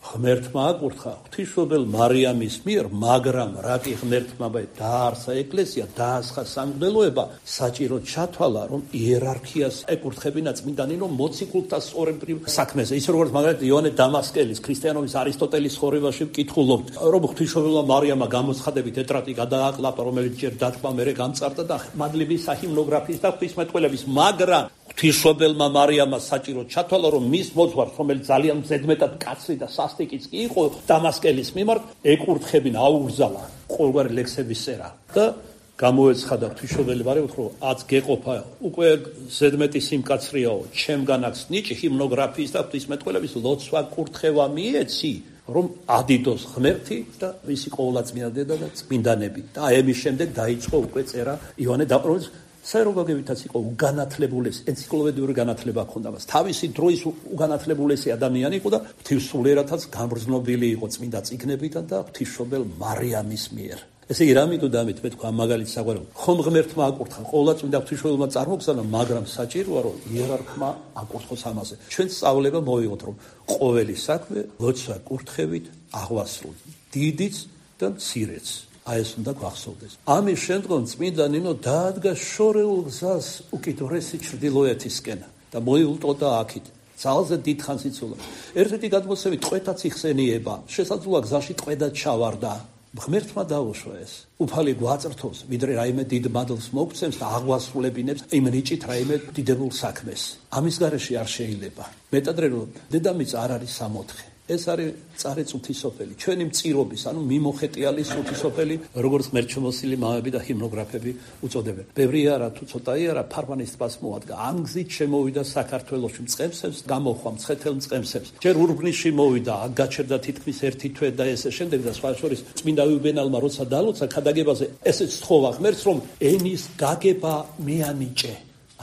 ღმერთმა აკურთხა ღვთისმშობელ მარიამის მიერ, მაგრამ რაკი ღმერთმა დაარსა ეკლესია, დაასხა სამღვდელოება, საჭირო ჩათვალა, რომ იერარქიას ეკურთხებინა წმინდა ნინო მოციქულთა სწორებრივ საქმეზე. ის როგორც მაგალითად იოანე დამასკელის ქრისტიანობის არისტოტელის ცხოვრებაში ვკითხულობთ, რომ ღვთისმშობელმა მარიამმა გამოცხადებით ეტრატი გადააყლაპა, რომელიც ჯერ დათქმა მერე გამწარდა და მადლების საჰიმნოგრაფიის და ღვთისმეტყველების, მაგრამ ღვთისმშობელმა მარიამმა საჭირო ჩათვალა, რომ მის მოძღვარს, რომელიც ძალიან ზედმეტად კაცრი და სასტიკიც კი იყო, დამასკელის მიმართ ეკურთხებინა, აუგზალა ყოველგვარი ლექსების წერა და გამოეცხადა ღვთისმშობელი მარიამ, რომ აც გეყოფა უკვე ზედმეტი სიმკაცრიაო, ჩემგან აქვს ნიჭი ჰიმნოგრაფიის და ღვთისმეტყველების ლოცვა კურთხევა მიეცი, რომ ადიდოს ღმერთი და მისი ყოვლადწმინდა დედა და წმინდანები. და აი ამის შემდეგ დაიწყო უკვე წერა იოანე დაპროვის საეროგაგებითაც იყო უგანათლებულესი, ენციკლოპედიური განათლება ჰქონდა მას. თავისი დროის უგანათლებულესი ადამიანი იყო და ღვთისმსულიერათაც გამგრძნობილი იყო წმინდა წიგნებიდან და ღვთისმშობელ მარიამის მიერ. ესე იგი, რამითო და ამით მე თქვა მაგალითს საყვარელო. ხომ ღმერთმა აკურთხა, ყოვლადწმინდა ღვთისმშობელმა წარმოგზავნა, მაგრამ საჭიროა რომ იერარქმა აკურთხოს ამაზე. ჩვენ სწავლება მოვიღოთ, რომ ყოველი საქმე ლოცვა კურთხევით აღვასრულოთ, დიდიც და მცირეც. აი ეს უნდა გვახსოვდეს. ამის შემდგომ წმინდა ნინო დაადგა შორეულ გზას უკიდურესი ჩრდილოეთისკენ და მოიუტყოდა აქით. ძალზე დიდხანს იცოდა. ერთ-ერთი გადმოცემით ტყვეთაც იხსენიება. შესაძლოა გზაში ტყვედაც ჩავარდა. ღმერთმა დაუშვა ეს. უფალი გვაწრთოს, ვიდრე რაიმე დიდ მადლს მოგცემს და აღვასრულებინებს იმ ნიჭით რაიმე დიდებულ საქმეს. ამის გარეშე არ შეიძლება. მეტადრე რომ დედამიწა არ არის სამოთხე. ეს არის წარեց უთისოფელი, ჩვენი მწირობის, ანუ მიმოხეტიალის უთისოფელი, როგორც მერჩმოსილი მამები და ჰიმნოგრაფები უწოდებენ. ბევრი არა თუ ცოტაი არა ფარვანის ტბას მოადგა. ამ გზით შემოვიდა საქართველოში მწყემსებს, გამოხვა მცხეთელ მწყემსებს. ჯერ ურბნისში მოვიდა, აქ გაჩერდა თითქმის ერთი თვე და ესე შემდეგ და სხვა შორის წმინდა იუბენალმა როცა დალოცა ქადაგებაზე ესეც თხოვა ღმერთს, რომ ენის გაგება მეანიჭე.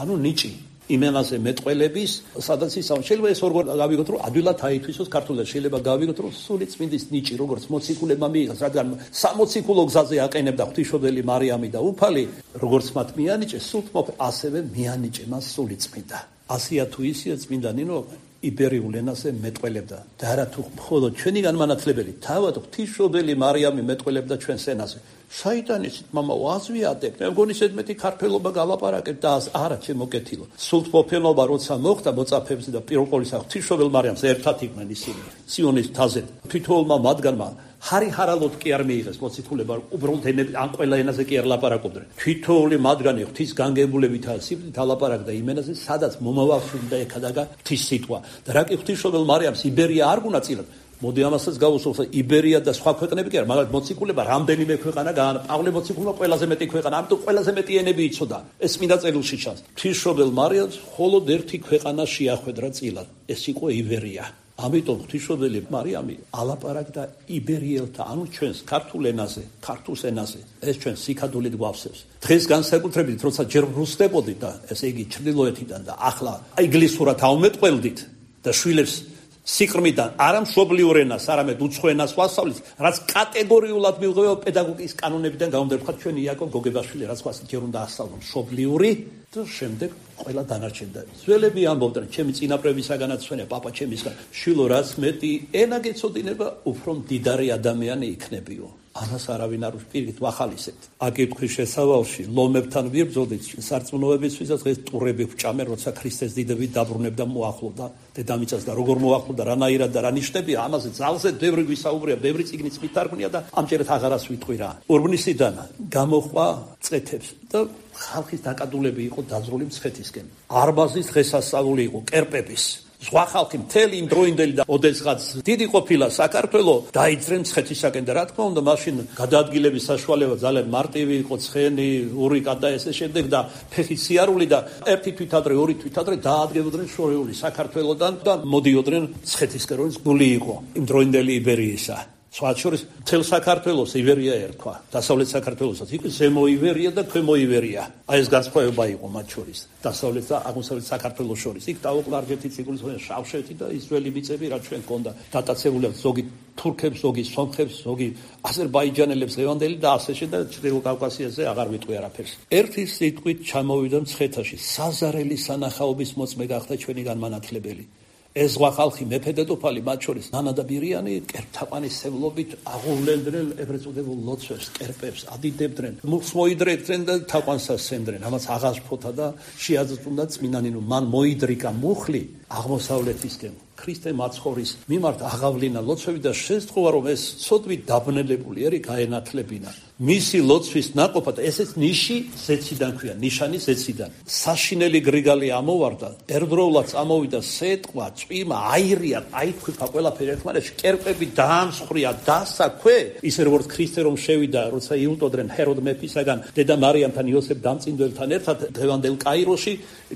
ანუ ნიჭი იმენაზე მეტყველების, სადაც ისავა შეიძლება ეს ორ გავიგოთ, რომ ადვილად აითვისოს ქართულად, შეიძლება გავიგოთ, რომ სული წმინდის ნიჭი, როგორც მოციქულებმა მიიღეს, რადგან სამოციქულო გზაზე აყენებდა ღვთისმშობელი მარიამი და უფალი, როგორც მათ მიანიჭე, სულთმოფ ასევე მიანიჭე მას სული წმინდა. ასია თუ ისია წმინდა ნინო იბერიულ ენაზე მეტყველებდა და არა თუ მხოლოდ ჩვენი განმანათლებელი, თავად ღვთისმშობელი მარიამი მეტყველებდა ჩვენს ენაზე. საიტანის მამა ვაზვიატებ, მე მგონი ზედმეტი ქართველობა გალაპარაკებ და არა ჩემო კეთილო. სულთმოფენობა როცა მოხდა მოწაფეებზე და პირველ ყოვლისა ღვთისმშობელ მარიამს ერთად იყვნენ ისინი. სიონის მთაზე თითოეულმა მათგანმა ჰარი ჰარალოდ კი არ მიიღეს მოციქულება, უბრალოდ ან ყველა ენაზე კი არ ლაპარაკობდნენ. თითოეული მათგანი ღვთის განგებულებითა სიბრით ალაპარაკდა იმ ენაზე, სადაც მომავალს უნდა ეკადაგა ღვთის სიტყვა. და რა კი ღვთისმშობელ მარიამს იბერია არ გუნაწილად. მოდი ამასაც გავუსვათ, იბერია და სხვა ქვეყნები კი არა, მაგრამ მოციქულება რამდენიმე ქვეყანა გაანა. პავლე მოციქულმა ყველაზე მეტი ქვეყანა, ამიტომ ყველაზე მეტი ენები იცოდა. ეს მინდა წერილში ჩანს. ღვთისმშობელ მარიამს მხოლოდ ერთი ქვეყანა შეახვედრა წილად. ეს იყო იბერია. ამიტომ ღვთისმშობელი მარიამი ალაპარაკდა იბერიელთა, ანუ ჩვენს ქართულ ენაზე, ქართულ ენაზე. ეს ჩვენ სიკადულით გვავსებს. დღეს განსაკუთრებით, როცა ჯერ ვრუსდებოდით და ესე იგი ჩრდილოეთიდან და ახლა ინგლისურად ავმეტყველდით და შვილებს სიყრმიდან არა მშობლიურ ენას, არამედ უცხო ენას ვასწავლით, რაც კატეგორიულად მიიღება პედაგოგიკის კანონებიდან გამომდინარე, ჩვენ იაკობ გოგებაშვილი რაც ვასწავლეთ, ჯერ უნდა ასწავლონ მშობლიური და შემდეგ ყველა დანარჩენი. ძველები ამბობდნენ, ჩემი წინაპრებისაგანაც ჩვენე პაპა ჩემისგან, შვილო რაც მეტი ენა გეცოდინება, უფრო მდიდარი ადამიანი იქნებიო. ამას არავინ არ პირით ვახალისებთ. აკითხვის შესავალში ლომებთან ვიბრძოდით სარწმუნოებისთვის და დღეს ტურები ვჭამენ, როცა ქრისტეს დიდები დაბრუნებდა მოახლოვდა დედამიწას და როგორ მოახლოვდა, რანაირად და რა ნიშნებია, ამაზე ძალზე ბევრი ვისაუბრია, ბევრი წიგნიც მითარგმნია და ამჯერად აღარას ვიტყვი რა. ურბნისიდან გამოხვა წეთებს და ხალხის დაკადულები იყო დაძრული მცხეთისკენ. არბაზის დღესასწაული იყო კერპების. სხვა ხალხი მთელი იმ დროინდელი და ოდესღაც დიდი ყოფილა საქართველო დაიძრენ მცხეთისაკენ და რა თქმა უნდა მაშინ გადაადგილების საშუალება ძალიან მარტივი იყო, ცხენი, ურიკა და ესე შემდეგ და ფეხი სიარული და ერთი თვით ადრე, ორი თვით ადრე დაადგებოდნენ შორეული საქართველოდან და მოდიოდნენ მცხეთისკენ, რომელიც გული იყო იმ დროინდელი იბერიისა. სხვა შორის მთელ საქართველოს იბერია ერქვა, დასავლეთ საქართველოსაც იყო ზემო იბერია და ქვემო იბერია. აი ეს განსხვავება იყო მათ შორის, დასავლეთ და აღმოსავლეთ საქართველოს შორის. იქ დაუყარგეთი ციკლის შავშეთი და ისრაელი მიწები რა ჩვენ ქონდა დატაცებული ზოგი თურქებს, ზოგი სომხებს, ზოგი აზერბაიჯანელებს ლევანდელი და ასე შედა ჩრდილო კავკასიაზე აღარ ვიტყვი არაფერს. ერთი სიტყვით ჩამოვიდა მცხეთაში, საზარელი სანახაობის მოწმე გახდა ჩვენი განმანათლებელი. ეს სხვა ხალხი მეფე დედოფალი მათ შორის ნანა და ბირიანი კერპთაყვანისმცემლობით აღუვლენდნენ ეგრეთ წოდებულ ლოცვებს, კერპებს, ადიდებდნენ, მუხს მოიდრეკდნენ და თაყვანს ასცემდნენ. ამას აღაშფოთა და შეაძწუნდა წმინდანინო, მან მოიდრიკა მუხლი აღმოსავლეთისკენ. ქრისტე მაცხოვრის მიმართ აღავლინა ლოცვები და შესთხოვა, რომ ეს ცოდვით დაბნელებული ერი გაენათლებინა. მისი ლოცვის ნაყოფად ესეც ნიში ზეციდან ქვია, ნიშანი ზეციდან. საშინელი გრიგალი ამოვარდა, ერთდროულად ამოვიდა სეტყვა, წვიმა, აირია, აითქვიფა ყველაფერი ერთმანეთში, კერპები დაამსხვრია, დასაქვე, ისე როგორც ქრისტე რომ შევიდა, როცა იუტოდრენ ჰეროდ მეფისაგან, დედა მარიამთან, იოსებ დამწინდელთან ერთად დღევანდელ კაიროში,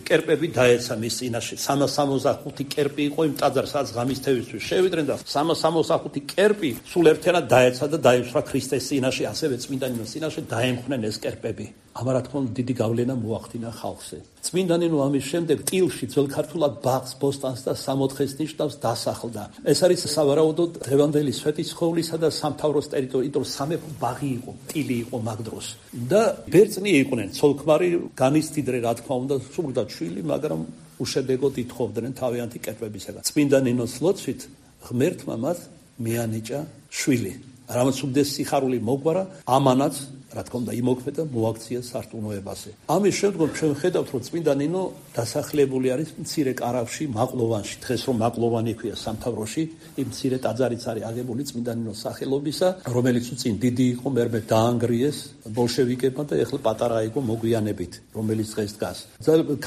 კერპები დაეცა მის წინაშე. სამას სამოცდახუთი კერპი იყო იმ ტაძარს, სადაც ღამის თევისთვის შევიდნენ და სამას სამოცდახუთი კერპი სულ ერთიანად დაეცა და დაისვრა ქრისტეს წინაშე, ასევე წმინდანინოს წინაშე დაემხნენ ეს კერპები. ამ რა თქმა უნდა დიდი გავლენა მოახდინა ხალხზე. წმინდანინო ამის შემდეგ ტილში ძველ ქართულად ბაღს, ბოსტანს და სამოთხეს ნიშნავს დასახლდა. ეს არის სავარაუდოდ დღევანდელი სვეტიცხოვლისა და სამთავროს ტერიტორია, იმიტომ სამეფო ბაღი იყო, ტილი იყო მაგ დროს. და ბერძნი იყვნენ, ცოლქმარი, განიცდიდრე რა თქმა უნდა, სურდა შვილი, მაგრამ უშედეგოდ ითხოვდნენ თავიანთი კერპებისაგან. წმინდანინოს ლოცვით ღმერთმა მას მიანიჭა შვილი. რამაც უდეს სიხარული მოგვარა, ამანაც რა თქმა უნდა იმოქმედა მოაქცია სარწმუნოებაზე. ამის შემდგომ ჩვენ ხედავთ რომ წმინდა ნინო დასახლებული არის მცირე კარავში მაყლოვანში. დღეს რომ მაყლოვანი ქვია სამთავროში, იმ მცირე ტაძარიც არის აგებული წმინდა ნინოს სახელობისა, რომელიც უწინ დიდი იყო, მერმე დაანგრიეს ბოლშევიკებმა და ეხლა პატარა იყო მოგვიანებით, რომელიც დღეს დგას.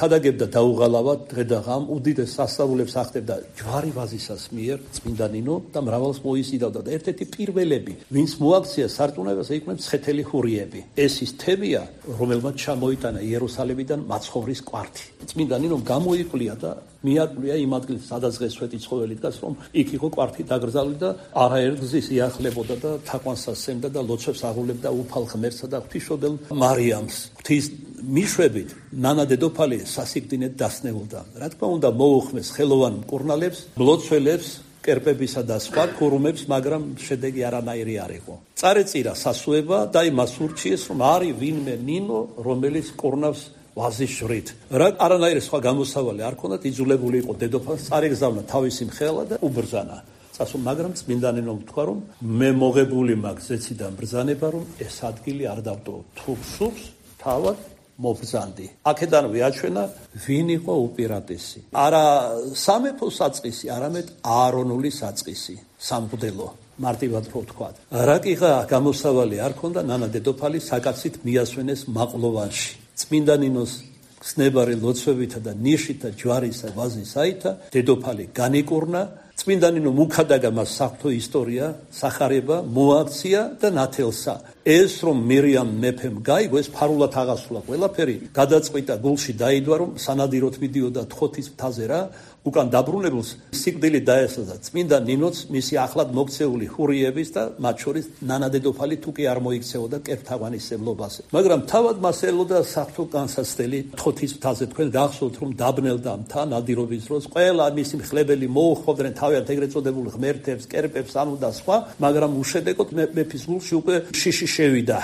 ქადაგებდა დაუღალავად დღე და ღამ უდიდეს სასწაულებს ახდენდა ჯვარი ვაზისას მიერ წმინდა ნინო და მრავალს მოიზიდავდა და ერთ-ერთი პირველები, ვინც მოაქცია სარწმუნოებას, იყვნენ მცხეთელი ჰურიები. ეს ის თემია, რომელმაც ჩამოიტანა იერუსალიმიდან მაცხოვრის კვართი. წმინდა ნინომ გამოიკვლია და მიაკვლია იმ ადგილს, სადაც დღეს სვეტი ცხოველი დგას, რომ იქ იყო კვართი დაკრძალული და არაერთგზის იახლებოდა და თაყვანს ასცემდა და ლოცვებს აღულებდა უფალ ღმერთსა და ღვთისმშობელ მარიამს. ღვთის მიშვებით ნანა დედოფალი სასიკვდინედ დასნეულდა. რა თქმა უნდა მოუხმეს ხელოვან მკურნალებს, მლოცველებს, კერპებისა და სხვა ქურუმებს, მაგრამ შედეგი არანაირი არ იყო. წარეწირა სასუება და იმას ურჩიეს, რომ არის ვინმე ნინო, რომელიც კურნავს ვაზის ჟვრით. რა არანაირი სხვა გამოსავალი არ ქონდათ, იძულებული იყო დედოფალს წარეგზავნა თავისი მხელა და უბრძანა. წასულ, მაგრამ წმინდა ნინომ თქვა, რომ მე მოღებული მაქვს ზეციდან ბრძანება, რომ ეს ადგილი არ დავტოვო. თუ სურს, თავად მობრძანდი. აქედანვე აჩვენა, ვინ იყო უპირატესი. არა სამეფო საწყისი, არამედ აარონული საწყისი, სამღვდელო. მარტივად რო ვთქვათ. რაკიღა გამოსავალი არ ქონდა, ნანა დედოფალი საკაცით მიასვენეს მაყლოვანში. წმინდა ნინოს ხსნებარი ლოცვებითა და ნიშითა ჯვარისა ვაზის აითა დედოფალი განიკურნა. წმინდა ნინო მუქადაგა მას საღვთო ისტორია, სახარება, მოაქცია და ნათელსა. ეს რომ მირიამ მეფემ გაიგო, ეს ფარულად აღასრულა ყველაფერი, გადაწყვიტა გულში დაიდვა, რომ სანადიროთ მიდიოდა თხოთის მთაზე რა, უკან დაბრუნებულს სიკვდილი დაესაზა წმინდა ნინოც მისი ახლად მოქცეული ჰურიების და მათ შორის ნანა დედოფალი თუ კი არ მოიქცეოდა კერპთაღვანისმლობაზე. მაგრამ თავად მას ელოდა საღვთო განსაცდელი თხოთის მთაზე. თქვენ გახსოვთ რომ დაბნელდა მთა ნადირობის დროს, ყველა მისი მხლებელი მოუხმობდნენ თავიანთ ეგრეთ წოდებულ ღმერთებს, კერპებს, ანუ და სხვა, მაგრამ უშედეგოდ მეფის გულში უკვე შიში შევიდა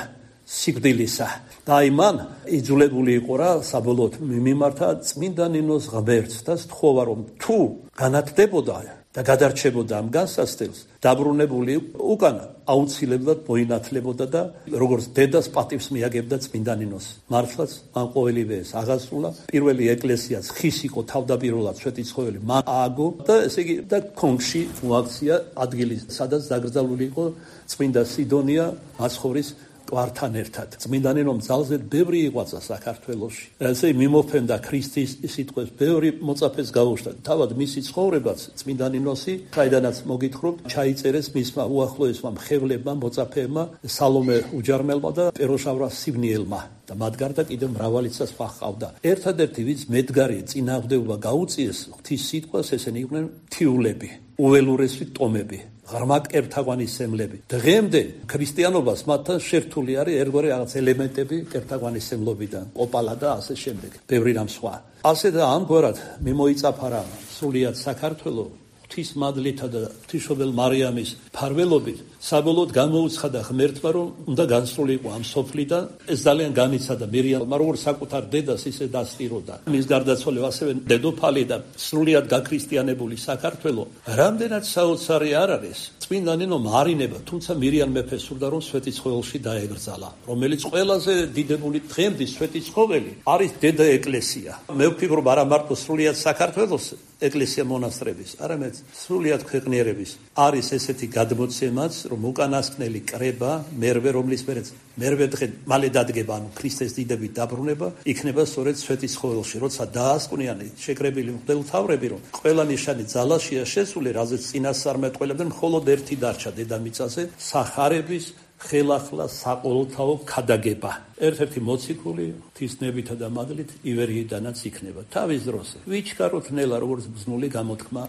სიკვდილისა. და აი მან იძულებული იყო რა საბოლოოდ მიმართა წმინდა ნინოს ღმერთს და სთხოვა რომ თუ განათდებოდა და გადარჩებოდა ამ განსაცდელს, დაბრუნებული უკან აუცილებლად მოინათლებოდა და როგორც დედას პატივს მიაგებდა წმინდა ნინოს. მართლაც მან ყოველივე ეს აღასრულა. პირველი ეკლესიაც ხის იყო თავდაპირველად სვეტი ცხოველი მან ააგო და ესე იგი და კონქში მოაქცია ადგილი, სადაც დაკრძალული იყო წმინდა სიდონია მაცხოვრის კვართან ერთად. წმინდა ნინომ ძალზედ ბევრი იღვაცა საქართველოში. ესე მიმოფენდა ქრისტის სიტყვებს, ბევრი მოწაფეს გაუშვდა. თავად მისი ცხოვრებაც წმინდა ნინოსი, საიდანაც მოგითხრობთ, ჩაიწერეს მისმა უახლოესმა მხევლებმა, მოწაფეებმა, სალომე უჯარმელმა და პეროშავრა სიბნიელმა. და მათ გარდა კიდევ მრავალიც სხვა ჰყავდა. ერთადერთი ვინც მედგარი წინააღმდეგობა გაუწიეს ღვთის სიტყვას, ესენი იყვნენ მთიულები, უველურესი ტომები. ღრმა კერპთაღვანისმლები. დღემდე ქრისტიანობას მათთან შერთული არის ერთგვარი რაღაც ელემენტები კერპთაღვანისმლობიდან, ოპალა და ასე შემდეგ. ბევრი რამ სხვა. ასე და ამგვარად მიმოიწაფარა სრულიად საქართველო ღვთის მადლითა და ღვთისმშობელ მარიამის ფარველობით. საბოლოოდ გამოუცხადა ღმერთმა, რომ უნდა განსრულიყო ამ სოფლიდან. ეს ძალიან განიცადა მირიამმა, როგორც საკუთარ დედას ისე დასტიროდა. მის გარდაცვალებ ასევე დედოფალი და სრულიად გაქრისტიანებული საქართველო. რამდენად საოცარი არ არის, წმინდა ნინომ არინება, თუმცა მირიამ მეფე სურდა, რომ სვეტი ცხოველში დაეგრძალა, რომელიც ყველაზე დიდებული დღემდე სვეტი ცხოველი არის დედა ეკლესია. მე ვფიქრობ, არა მარტო სრულიად საქართველოს ეკლესია მონასტრების, არამედ სრულიად ქვეყნიერების არის ესეთი გადმოცემაც, რომ უკანასკნელი კრება, მერვე რომლის მერეც მერვე დღე მალე დადგება, ანუ ქრისტეს დიდებით დაბრუნება, იქნება სწორედ სვეტის ცხოველში, როცა დაასკვნიან შეკრებილი მღვდელმთავრები, რომ ყველა ნიშანი ძალაშია შესული, რაზეც წინასწარმეტყველებდნენ, მხოლოდ ერთი დარჩა დედამიწაზე, სახარების ხელახლა საყოველთაო ქადაგება. ერთ-ერთი მოციქული ღვთისნებითა და მადლით ივერიიდანაც იქნება. თავის დროს ვიჩქაროთ ნელა, როგორც ბრძნული გამოთქმა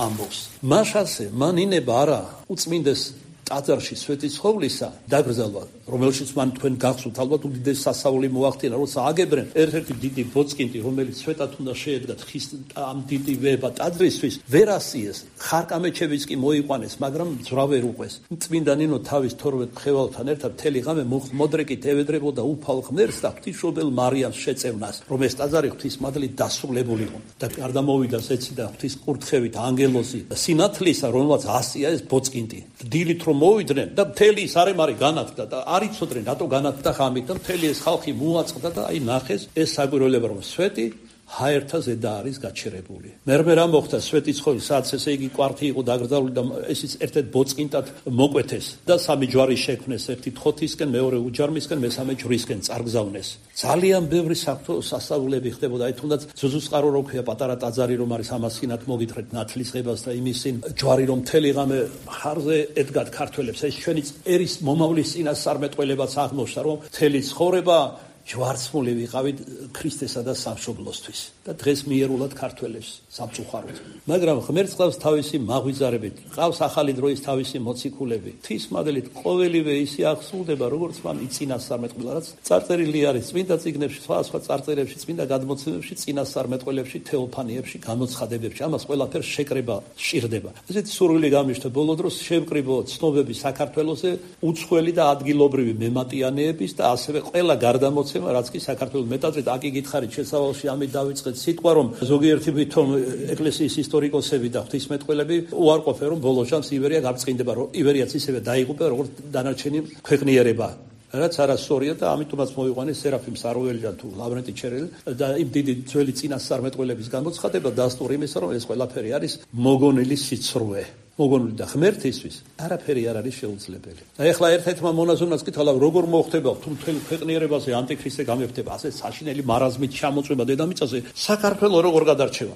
ამბობს. მაშასე მან ინება არა უწმინდეს ტაძარში სვეტი ცხოვლისა დაკრძალვა, რომელშიც მან თქვენ გახსოვთ, ალბათ უდიდესი სასწაული მოახდინა, როცა აგებდნენ ერთ-ერთი დიდი ბოწკინტი, რომელიც სვეტად უნდა შეედგათ ხის ამ დიდი ვება ტაძრისთვის, ვერ ასიეს, ხარკამეჩებიც კი მოიყვანეს, მაგრამ ძვლა ვერ უყვეს. წმინდა ნინო თავის თორმეტ მხევალთან ერთად მთელი ღამე მოდრეკით ევედრებოდა უფალ ღმერთს და ღვთისმშობელ მარიამს შეწევნას, რომ ეს ტაძარი ღვთის მადლით დასრულებულიყო. და გარდა მოვიდა ეცი და ღვთის კურთხევით ანგელოზი სინათლისა, რომელმაც ასია ეს ბოწკინტი. დილით რომ მოვიდნენ და მთელი ის არემარი განათდა და არ იცოდნენ რატო განათდა ხამით და მთელი ეს ხალხი მოაწყდა და აი ნახეს ეს საგვირელება რომ სვეტი ჰაერთა ზედა არის გაჩერებული. მერმე რა მოხდა სვეტი ცხოვი სადაც ესე იგი კვართი იყო დაგრძალული და ესიც ერთ-ერთ ბოწყინტად მოკვეთეს და სამი ჯვარი შექმნეს ერთი თხოთისკენ მეორე უჯარმისკენ მესამე ჯვრისკენ წარგზავნეს. ძალიან ბევრი საფრთხო სასწაულები ხდებოდა აი თუნდაც ზუზუსყარო რო ქვია პატარა ტაძარი რომ არის ამას სინათ მოგითხრეთ ნათლის ღებას და იმისინ ჯვარი რომ მთელი ღამე ხარზე ედგათ ქართველებს ეს ჩვენი ერის მომავლის წინასწარმეტყველებაც აღმოჩნდა რომ მთელი ცხოვრება ჯვარცმული ვიყავით ქრისტესა და სამშობლოსთვის და დღეს მიერულად ქართველებს სამწუხაროდ. მაგრამ ღმერთს ყავს თავისი მაღვიძარებით, ყავს ახალი დროის თავისი მოციქულები. ღვთისმადლით ყოველივე ისე აღსრულდება, როგორც მან იწინასწარმეტყველა, რაც წარწერილი არის წმინდა წიგნებში, სხვა სხვა წარწერებში, წმინდა გადმოცემებში, წინასწარმეტყველებში, თეოფანიებში, გამოცხადებებში. ამას ყველაფერს შეკრება სჭირდება. ესეთი სურვილი გამიშთა ბოლო დროს შევკრიბო ცნობები საქართველოსზე უცხოელი და ადგილობრივი მემატიანეების და ასევე ყველა გარდამოცემი რაც კი საქართველოს მეტადრე აკი გითხარით შესავალში ამით დავიწყეთ სიტყვა რომ ზოგიერთი თვითონ ეკლესიის ისტორიკოსები და ღვთისმეტყველები უარყოფენ რომ ბოლო შანს ივერია გაბწყინდება რომ ივერიაც ისევე დაიღუპა როგორც დანარჩენი ქვეყნიერება რაც არასწორია და ამიტომაც მოვიყვანეს სერაფიმ საროველიდან თუ ლავრენტი ჩერელი და იმ დიდი ძველი წინასწარმეტყველების გამოცხადება დასტური იმისა რომ ეს ყველაფერი არის მოგონილი სიცრუე მოგონილი და ღმერთისთვის არაფერი არ არის შეუძლებელი. და ეხლა ერთ-ერთმა მონაზონას კითხავ როგორ მოხდება თუ მთელი ქვეყნიერებაზე ანტიქრისტე გამეფდება ასე საშინელი მარაზმით ჩამოწვება დედამიწაზე საქართველო როგორ გადარჩება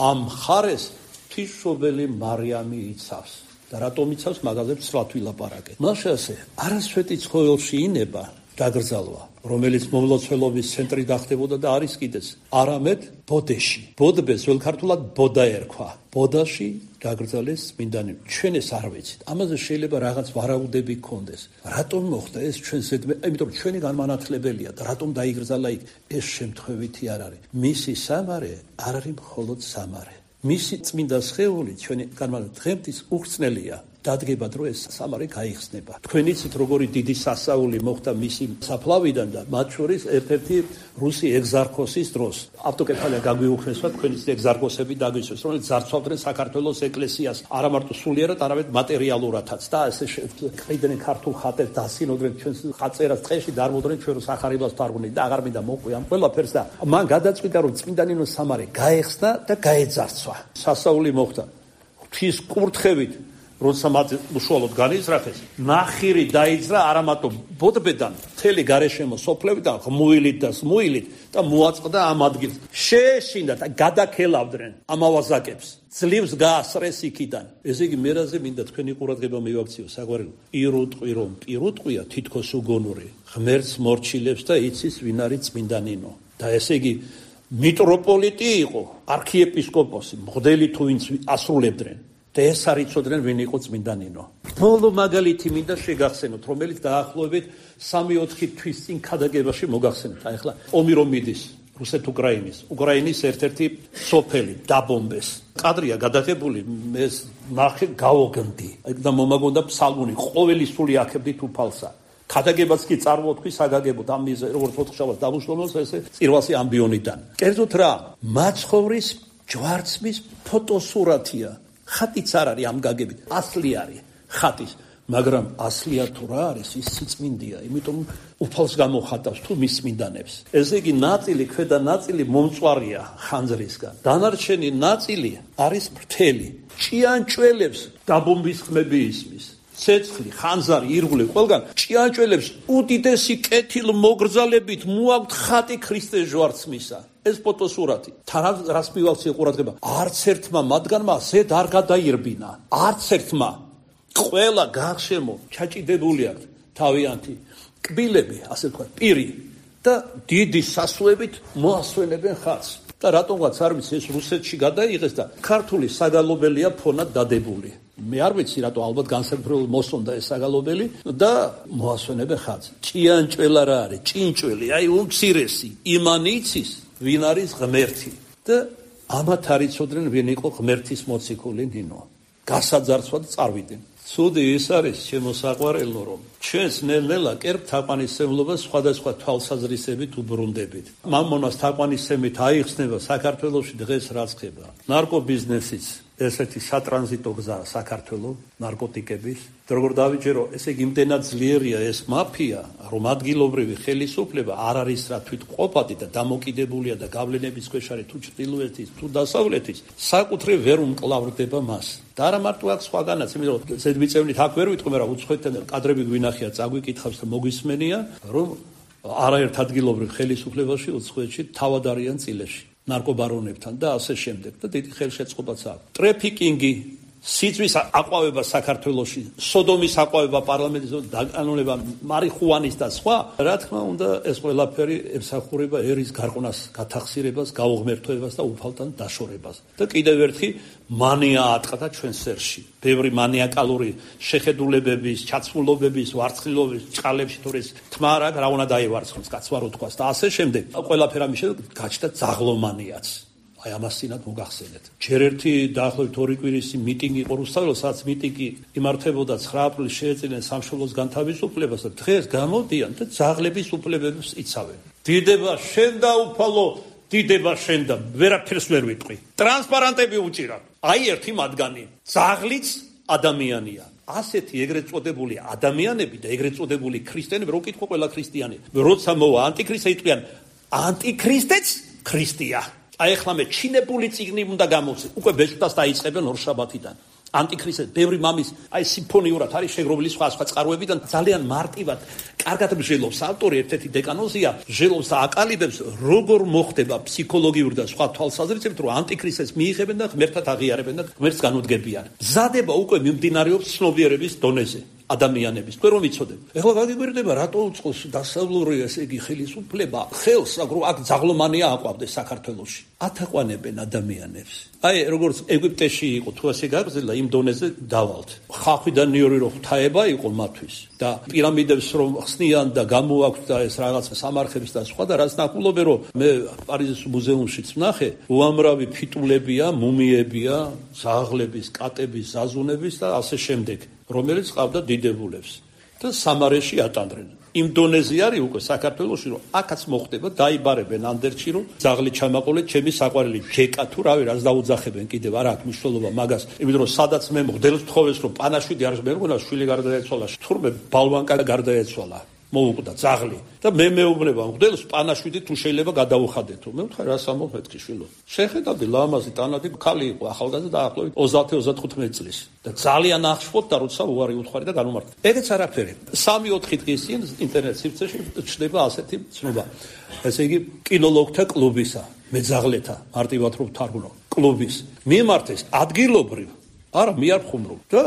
ამ ხარეს ღვთისმშობელი მარიამი იცავს და რატომ იცავს მაგაზებს სრულად ვილაპარაკეთ. მაშინ ასე არასვეტი ცხოველში ინება დაგრძალვა რომელიც მომლოცველობის ცენტრი გახდებოდა და არის კიდეც არამედ ბოდეში ბოდბეს վել ქართულად ბოდა ერქვა ბოდაში დაგრძალეს წმინდანი ჩვენ ეს არ ვიცით ამაზე შეიძლება რაღაც ვარაუდები გქონდეს რატომ მოხდა ეს ჩვენ ზედმე იმიტომ რომ ჩვენი განმანათლებელია და რატომ დაიგრძალა იქ ეს შემთხვევითი არ არის მისი სამარე არ არის მხოლოდ სამარე მისი წმინდა სხეული ჩვენი განმანათლებელი დღემდღის უხრწნელია დადგება დრო ეს სამარე გაიხსნება. თქვენ იცით როგორი დიდი სასაული მოხდა მისი საფლავიდან და მათ შორის ერთ-ერთი რუსი ეგზარქოსის დროს. ავტოკეფალია გაგვიუხესვა თქვენი ეგზარქოსები დაგვისვეს, რომელიც ძარცვავდნენ საქართველოს ეკლესიას არა მარტო სულიერად, არამედ მატერიალურადაც და ესე ყიდნენ ქართულ ხატებს დასინოდნენ ჩვენს ხაწერას ტყეში დარმოდრენ ჩვენ სახარებას თარგმნით და აღარ მინდა მოყვი ამ ყველაფერს და მან გადაწყვიტა რომ წმინდანინოს სამარე გაეხსნა და გაეძარცვა. სასაული მოხდა. ღვთის კურთხევით როცა მათ უშუალოდ განიზრახეს, ნახირი დაიძრა არამატო ბოდბედან, მთელი გარეშემო სოფლევიდან ღმუილით და სმუილით და მოაწყდა ამ ადგილს. შეეშინდა და გადაქელავდნენ ამავაზაკებს. ძლივს გაასრეს იქიდან. ესე იგი მერაზე მინდა თქვენი ყურადღება მივაქციო საგვარეულო. პირუტყვი რომ პირუტყვია თითქოს უგონური. ღმერთს მორჩილებს და იცის ვინ არის წმინდანინო. და ესე იგი მიტროპოლიტი იყო, არქიეპისკოპოსი, მღვდელი თუ ვინც ასრულებდნენ. და ეს არ იცოდნენ ვინ იყო წმინდანინო. ბოლო მაგალითი მინდა შეგახსენოთ, რომელიც დაახლოებით სამი-ოთხი თვის წინ ქადაგებაში მოგახსენეთ. აი ახლა ომი რომ მიდის რუსეთ-უკრაინის, უკრაინის ერთ-ერთი სოფელი დაბომბეს. კადრია გადაღებული, ეს ნახე გავოგნდი. და მომაგონდა ფსალმუნი, ყოველი სული აქებდით უფალსა. ქადაგებაც კი წარმოვთქვი საგაგებოდ ამ მიზე როგორც ოთხშაბათს დამუშავებელს ესე წირვასი ამბიონიდან. კერძოდ რა, მაცხოვრის ჯვარცმის ფოტოსურათია. ხატიც არ არის ამ გაგებით, ასლი არის ხატის, მაგრამ ასლია თუ რა არის, ის სიწმინდეა, იმიტომ უფალს გამოხატავს თუ მის წმინდანებს. ესე იგი ნაწილი, ქვედა ნაწილი მომწვარია ხანძრისგან. დანარჩენი ნაწილი არის ფრთელი. ჭიანჭველებს დაბომბის ხმები ისმის. ცეცხლი, ხანძარი, ირგვლივ ყველგან ჭიანჭველებს უდიდესი კეთილმოგრძალებით მოაქვთ ხატი ქრისტეს ჯვარცმისა. ეს ფოტოსურათი. თან რას მივაქციე ყურადღება? არც ერთმა მათგანმა ზედ არ გადაირბინა. არც ერთმა. ყველა გარშემო ჩაჭიდებული აქვს თავიანთი კბილები, ასე ვთქვათ, პირი და დიდი სასუებით მოასვენებენ ხატს. და რატომღაც არ ვიცი ეს რუსეთში გადაიღეს და ქართული საგალობელია ფონად დადებული. მე არ ვიცი რატო ალბათ განსაკუთრებულ მოსონდა ეს საგალობელი და მოასვენებენ ხატს. ჭიანჭველა რა არის? ჭინჭველი, აი უმცირესი, იმან იცის ვინ არის ღმერთი და ამათ არ იცოდნენ ვინ იყო ღმერთის მოციქული ნინო. გასაძარცვად წარვიდნენ. ცუდი ის არის შემოსაყვარელო რომ ჩვენს ნელ-ნელა კერპ თაყვანისმცემლობას სხვადასხვა თვალსაზრისებით უბრუნდებით. მამონას თაყვანისმცემით აიხსნება საქართველოში დღეს რაც ხდება. ნარკობიზნესიც ესეთი სატრანზიტო გზა საქართველოს ნარკოტიკების. როგორ დავიჯერო, ესე იგი იმდენად ძლიერია ეს მაფია, რომ ადგილობრივი ხელისუფლება არ არის რა თვითმყოფადი და დამოკიდებულია და გავლენების ქვეშ არის თუ ჩრდილოეთის, თუ დასავლეთის, საკუთრე ვერ უმკლავრდება მას. და არა მარტო აქ სხვაგანაც, იმიტომ რომ ზედმიწევნით აქ ვერ ვიტყვი, მაგრამ უცხოეთთან კადრები გვინახია, წაგვიკითხავს და მოგვისმენია, რომ არაერთ ადგილობრივ ხელისუფლებაში უცხოეთში თავად არიან წილეში, ნარკობარონებთან და ასე შემდეგ და დიდი ხელშეწყობაც აქვს. ტრეფიკინგი, სიძვის აყვავება საქართველოში, სოდომის აყვავება პარლამენტის დაკანონება, მარიხუანის და სხვა, რა თქმა უნდა, ეს ყველაფერი ემსახურება ერის გარყვნას, გათახსირებას, გაუღმერთოებას და უფალთან დაშორებას. და კიდევ ერთი მანია ატყდა ჩვენ სერში. ბევრი მანიაკალური შეხედულებების, ჩაცმულობების, ვარცხილობის ჭყალებში თუ ეს თმა რა, რა უნდა დაივარცხოს, კაცმა რო თქვას და ასე შემდეგ. ყველაფერი ამის შემდეგ გაჩნდა ძაღლომანიაც. აი ამასინად მოგახსენეთ. ჯერ ერთი დაახლოებით ორი კვირის მიტინგი იყო რუსთაველში, სადაც მიტინგი იმართებოდა ცხრა აპრილს შეეწირნენ სამშობლოს განთავისუფლებას და დღეს გამოდიან და ძაღლების უფლებებს იცავენ. დიდება შენ და უფალო, დიდება შენ და ვერაფერს ვერ ვიტყვი. ტრანსპარანტები უჭირა. აი ერთი მათგანი, ძაღლიც ადამიანია. ასეთი ეგრეთ წოდებული ადამიანები და ეგრეთ წოდებული ქრისტიანები, რო კითხო ყველა ქრისტიანი, როცა მოვა ანტიქრისტე იტყვიან, ანტიქრისტეც ქრისტია. აი ახლა მე ჩინებული წიგნი უნდა გამოვცე. უკვე ბეჭდას დაიწყებენ ორშაბათიდან. ანტიქრისტე ბევრი მამის აი სიმფონიურად არის შეგროვილი სხვა სხვა წყაროებიდან ძალიან მარტივად კარგად მსჯელობს ავტორი ერთ-ერთი დეკანოზია მსჯელობს და აკალიბებს როგორ მოხდება ფსიქოლოგიური და სხვა თვალსაზრისით რომ ანტიქრისტეს მიიღებენ და ღმერთად აღიარებენ და ღმერთს განუდგებიან. მზადება უკვე მიმდინარეობს ცნობიერების დონეზე. ადამიანების თქვენ რომ იცოდეთ. ეხლა გაგიგვირდება რატო უწყოს დასავლური ესე იგი ხელისუფლება ხელს აგრო აქ ძაღლომანია აყვავდეს საქართველოში. ათაყვანებენ ადამიანებს. აი როგორც ეგვიპტეში იყო თუ ასე გაგრძელდა იმ დონეზე დავალთ. ხახვიდან ნიორი რო ღვთაება იყო მათთვის და პირამიდებს რომ ხსნიან და გამოაქვთ და ეს რაღაცა სამარხებს და სხვა და რაც ნახულობენ რომ მე პარიზის მუზეუმშიც ვნახე უამრავი ფიტულებია, მუმიებია, ძაღლების, კატების, ზაზუნების და ასე შემდეგ. რომელიც ყავდა დიდებულებს და სამარეში ატანდნენ. იმ დონეზე არის უკვე საქართველოში რომ აქაც მოხდება დაიბარებენ ანდერჩი რომ ძაღლი ჩამაყოლეთ ჩემი საყვარელი ჯეკა თუ რავი რაც დაუძახებენ კიდევ არ აქვს მნიშვნელობა მაგას იმიტომ რომ სადაც მე მღდელს თხოვეს რომ პანაშვიდი არის მე მგონა შვილი გარდაეცვალა თურმე ბალვანკა გარდაეცვალა მოუკვდა ძაღლი და მე მეუბნება მღდელს პანაშვიდი თუ შეიძლება გადაუხადეთო მე ვთქვა რა სამომეთქი შვილო შეხედავდი ლამაზი ტანადი ხალი იყო ახალგაზრდა დაახლოებით ოცდაათი ოცდათხუთმეტი წლის და ძალიან ახშფოთ და როცა უარი უთხარი და განუმარტა ეგეც არაფერი სამი ოთხი დღის წინ ინტერნეტ სივრცეში ჩნდება ასეთი ცნობა ესე იგი კინოლოგთა კლუბისა მე ძაღლეთა მარტივად რომ ვთარგმნო კლუბის მიმართეს ადგილობრივ არა მიარხუმრობ და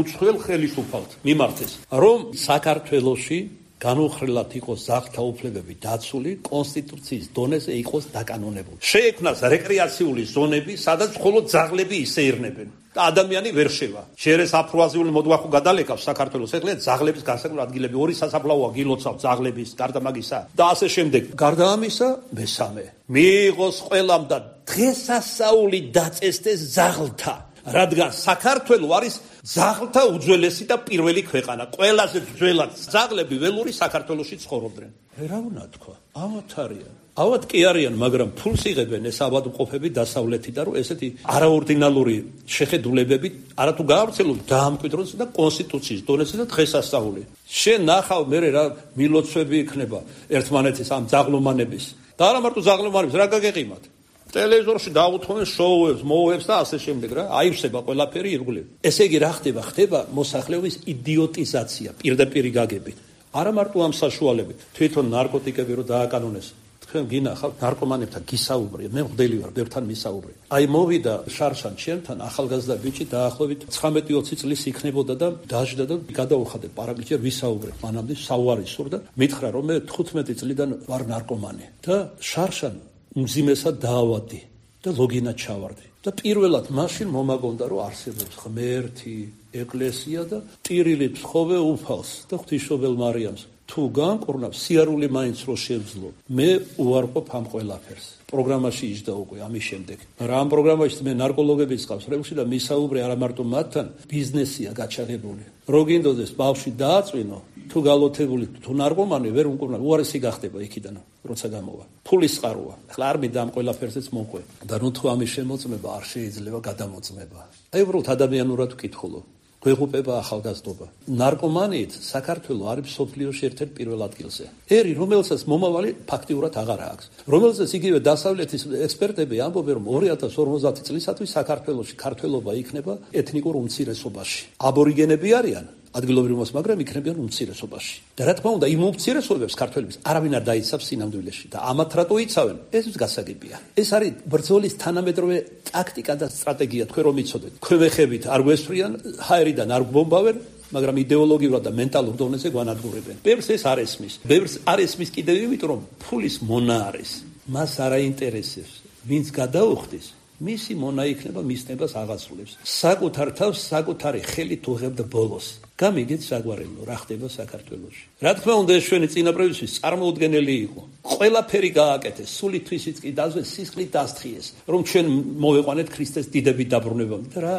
უცხოელ ხელისუფალთ მიმართეს რომ საქართველოში განუხრელად იყოს ძაღლთა უფლებები დაცული კონსტიტუციის დონეზე იყოს დაკანონებული. შეექმნას რეკრეაციული ზონები, სადაც მხოლოდ ძაღლები ისეირნებენ და ადამიანი ვერ შევა. შეერეს აფროაზიული მოდვახუ გადალეკავს საქართველოს ეხლა ძაღლების განსაკუთრებული ადგილები ორი სასაფლაოა გილოცავ ძაღლების გარდა მაგისა და ასე შემდეგ. გარდა ამისა მესამე მიიღოს ყველამ და დღესასწაული დაწესდეს ძაღლთა რადგან საქართველო არის ძაღლთა უძველესი და პირველი ქვეყანა. ყველაზე ძველად ძაღლები ველური საქართველოში ცხოვრობდნენ. რა უნდა თქვა? ავად არიან. ავად კი არიან, მაგრამ ფულს იღებენ ეს ავადმყოფები დასავლეთიდან, რომ ესეთი არაორდინალური შეხედულებები არათუ გაავრცელონ დაამკვიდროს და კონსტიტუციის დონეზე და დღესასწაული. შენ ნახავ მე რა მილოცვები იქნება ერთმანეთის ამ ძაღლომანების. და არა მარტო ძაღლომანების, რა გაგეყიმათ? ტელევიზორში დაუთხოვენ შოუებს, მოუებს და ასე შემდეგ რა. აივსება ყველაფერი ირგვლივ. ესე იგი რა ხდება? ხდება მოსახლეობის იდიოტიზაცია, პირდაპირი გაგებით. არა მარტო ამ საშუალებით. თვითონ ნარკოტიკები რო დააკანონეს. თქვენ გინახავთ ნარკომანებთან გისაუბრე, მე მგდელი ვარ, ბევრთან მისაუბრე. აი მოვიდა შარშან ჩემთან ახალგაზრდა ბიჭი დაახლოებით ცხრამეტი ოცი წლის იქნებოდა და დაждდა და გადაუხადე პარაგლიჯერ ვისაუბრე. მანამდე საუბარი სურდა, მითხრა რომ მე თხუთმეტი წლიდან ვარ ნარკომანი და შარშან უმძიმესად დაავადდი და ლოგინად ჩავარდი და პირველად მაშინ მომაგონდა რომ არსებობს ღმერთი, ეკლესია და ტირილი ფსხოვე უფალს და ღვთისმშობელ მარიამს თუ განკურნავს სიარული მაინც რო შევძლო მე უარყოფ ამ ყველაფერს პროგრამაში იჯდა უკვე ამის შემდეგ მაგრამ ამ პროგრამაში მე ნარკოლოგების ყავს რევში და მისაუბრე არა მარტო მათთან ბიზნესია გაჩაღებული რო გინდოდეს ბავშვი დააწვინო თუ გალოთებული თუ ნარკომანი ვერ უკურნა უარესი გახდება იქიდან როცა გამოვა ფულის წყაროა ახლა არ მინდა ამ ყველაფერსეც მოყვე და ნუ თუ ამის შემოწმება არ შეიძლება გადამოწმება აი უბრალოდ ადამიანურად ვკითხულობ გვეღუპება ახალგაზრდობა ნარკომანიით საქართველოს არის მსოფლიოში ერთ-ერთ პირველ ადგილზე ერი რომელსაც მომავალი ფაქტიურად აღარ აქვს რომელსაც იგივე დასავლეთის ექსპერტები ამბობენ რომ ორი ათას ორმოცდაათი წლისათვის საქართველოში ქართველობა იქნება ეთნიკურ უმცირესობაში აბორიგენები არიან ადგილობრივ მაგრამ იქნებიან უმცირესობაში და რა თქმა უნდა იმ უმცირესობებს ქართველებს არავინ არ დაიცავს სინამდვილეში და ამათ რატო იცავენ ეს გასაგებია ეს არის ბრძოლის თანამედროვე ტაქტიკა და სტრატეგია თქვენ რომ იცოდეთ თქვენ ვეხებით არ გვესწრიან ჰაერიდან არ გვბომბავენ მაგრამ იდეოლოგიურად და მენტალურ დონეზე გვანადგურებენ ბევრს ეს არ ესმის ბევრს არ ესმის კიდევ იმიტომ რომ ფულის მონა არის მას არ აინტერესებს ვინც გადაუხდის მისი მონა იქნება მისნებას აღასრულებს საკუთარ თავს საკუთარი ხელით უღებდა ბოლოს გამიგეთ საგვარელო რა ხდება საქართველოში რა თქმა უნდა ეს ჩვენი წინაპრებისთვის წარმოუდგენელი იყო ყველაფერი გააკეთეს სულითვისიც კი დაზვეს სისხლით დასთხიეს რომ ჩვენ მოვეყვანეთ ქრისტეს დიდებით დაბრუნებამდე და რა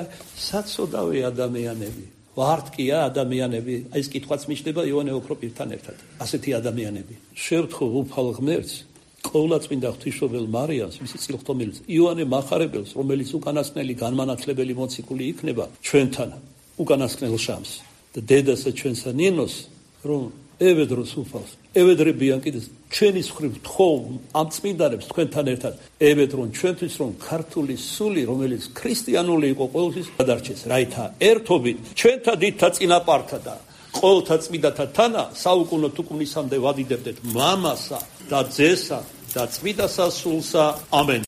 საცოდავე ადამიანები ვართ კია ადამიანები აი ეს კითხვაც მიჩნდება იოანე ოქროპირთან ერთად ასეთი ადამიანები შევთხო უფალ ღმერთს ყოვლადწმინდა ღვთისმშობელ მარიამს მისი წილხტომილს იოანე მახარებელს რომელიც უკანასკნელი განმანათლებელი მოციქული იქნება ჩვენთან უკანასკნელ შამს და დედასა ჩვენსა ნინოს რომ ევედროს უფალს ევედრებიან კიდეს ჩვენი მხრივ თხოვ ამ წმინდანებს თქვენთან ერთად ევედრონ ჩვენთვის რომ ქართული სული რომელიც ქრისტიანული იყო ყოველთვის გადარჩეს რაითა ერთობით ჩვენთა დიდთა წინაპართა და ყოველთა წმინდათა თანა საუკუნო თუკუნისამდე ვადიდებდეთ მამასა და ძესა და წმინდა სასულსა ამენ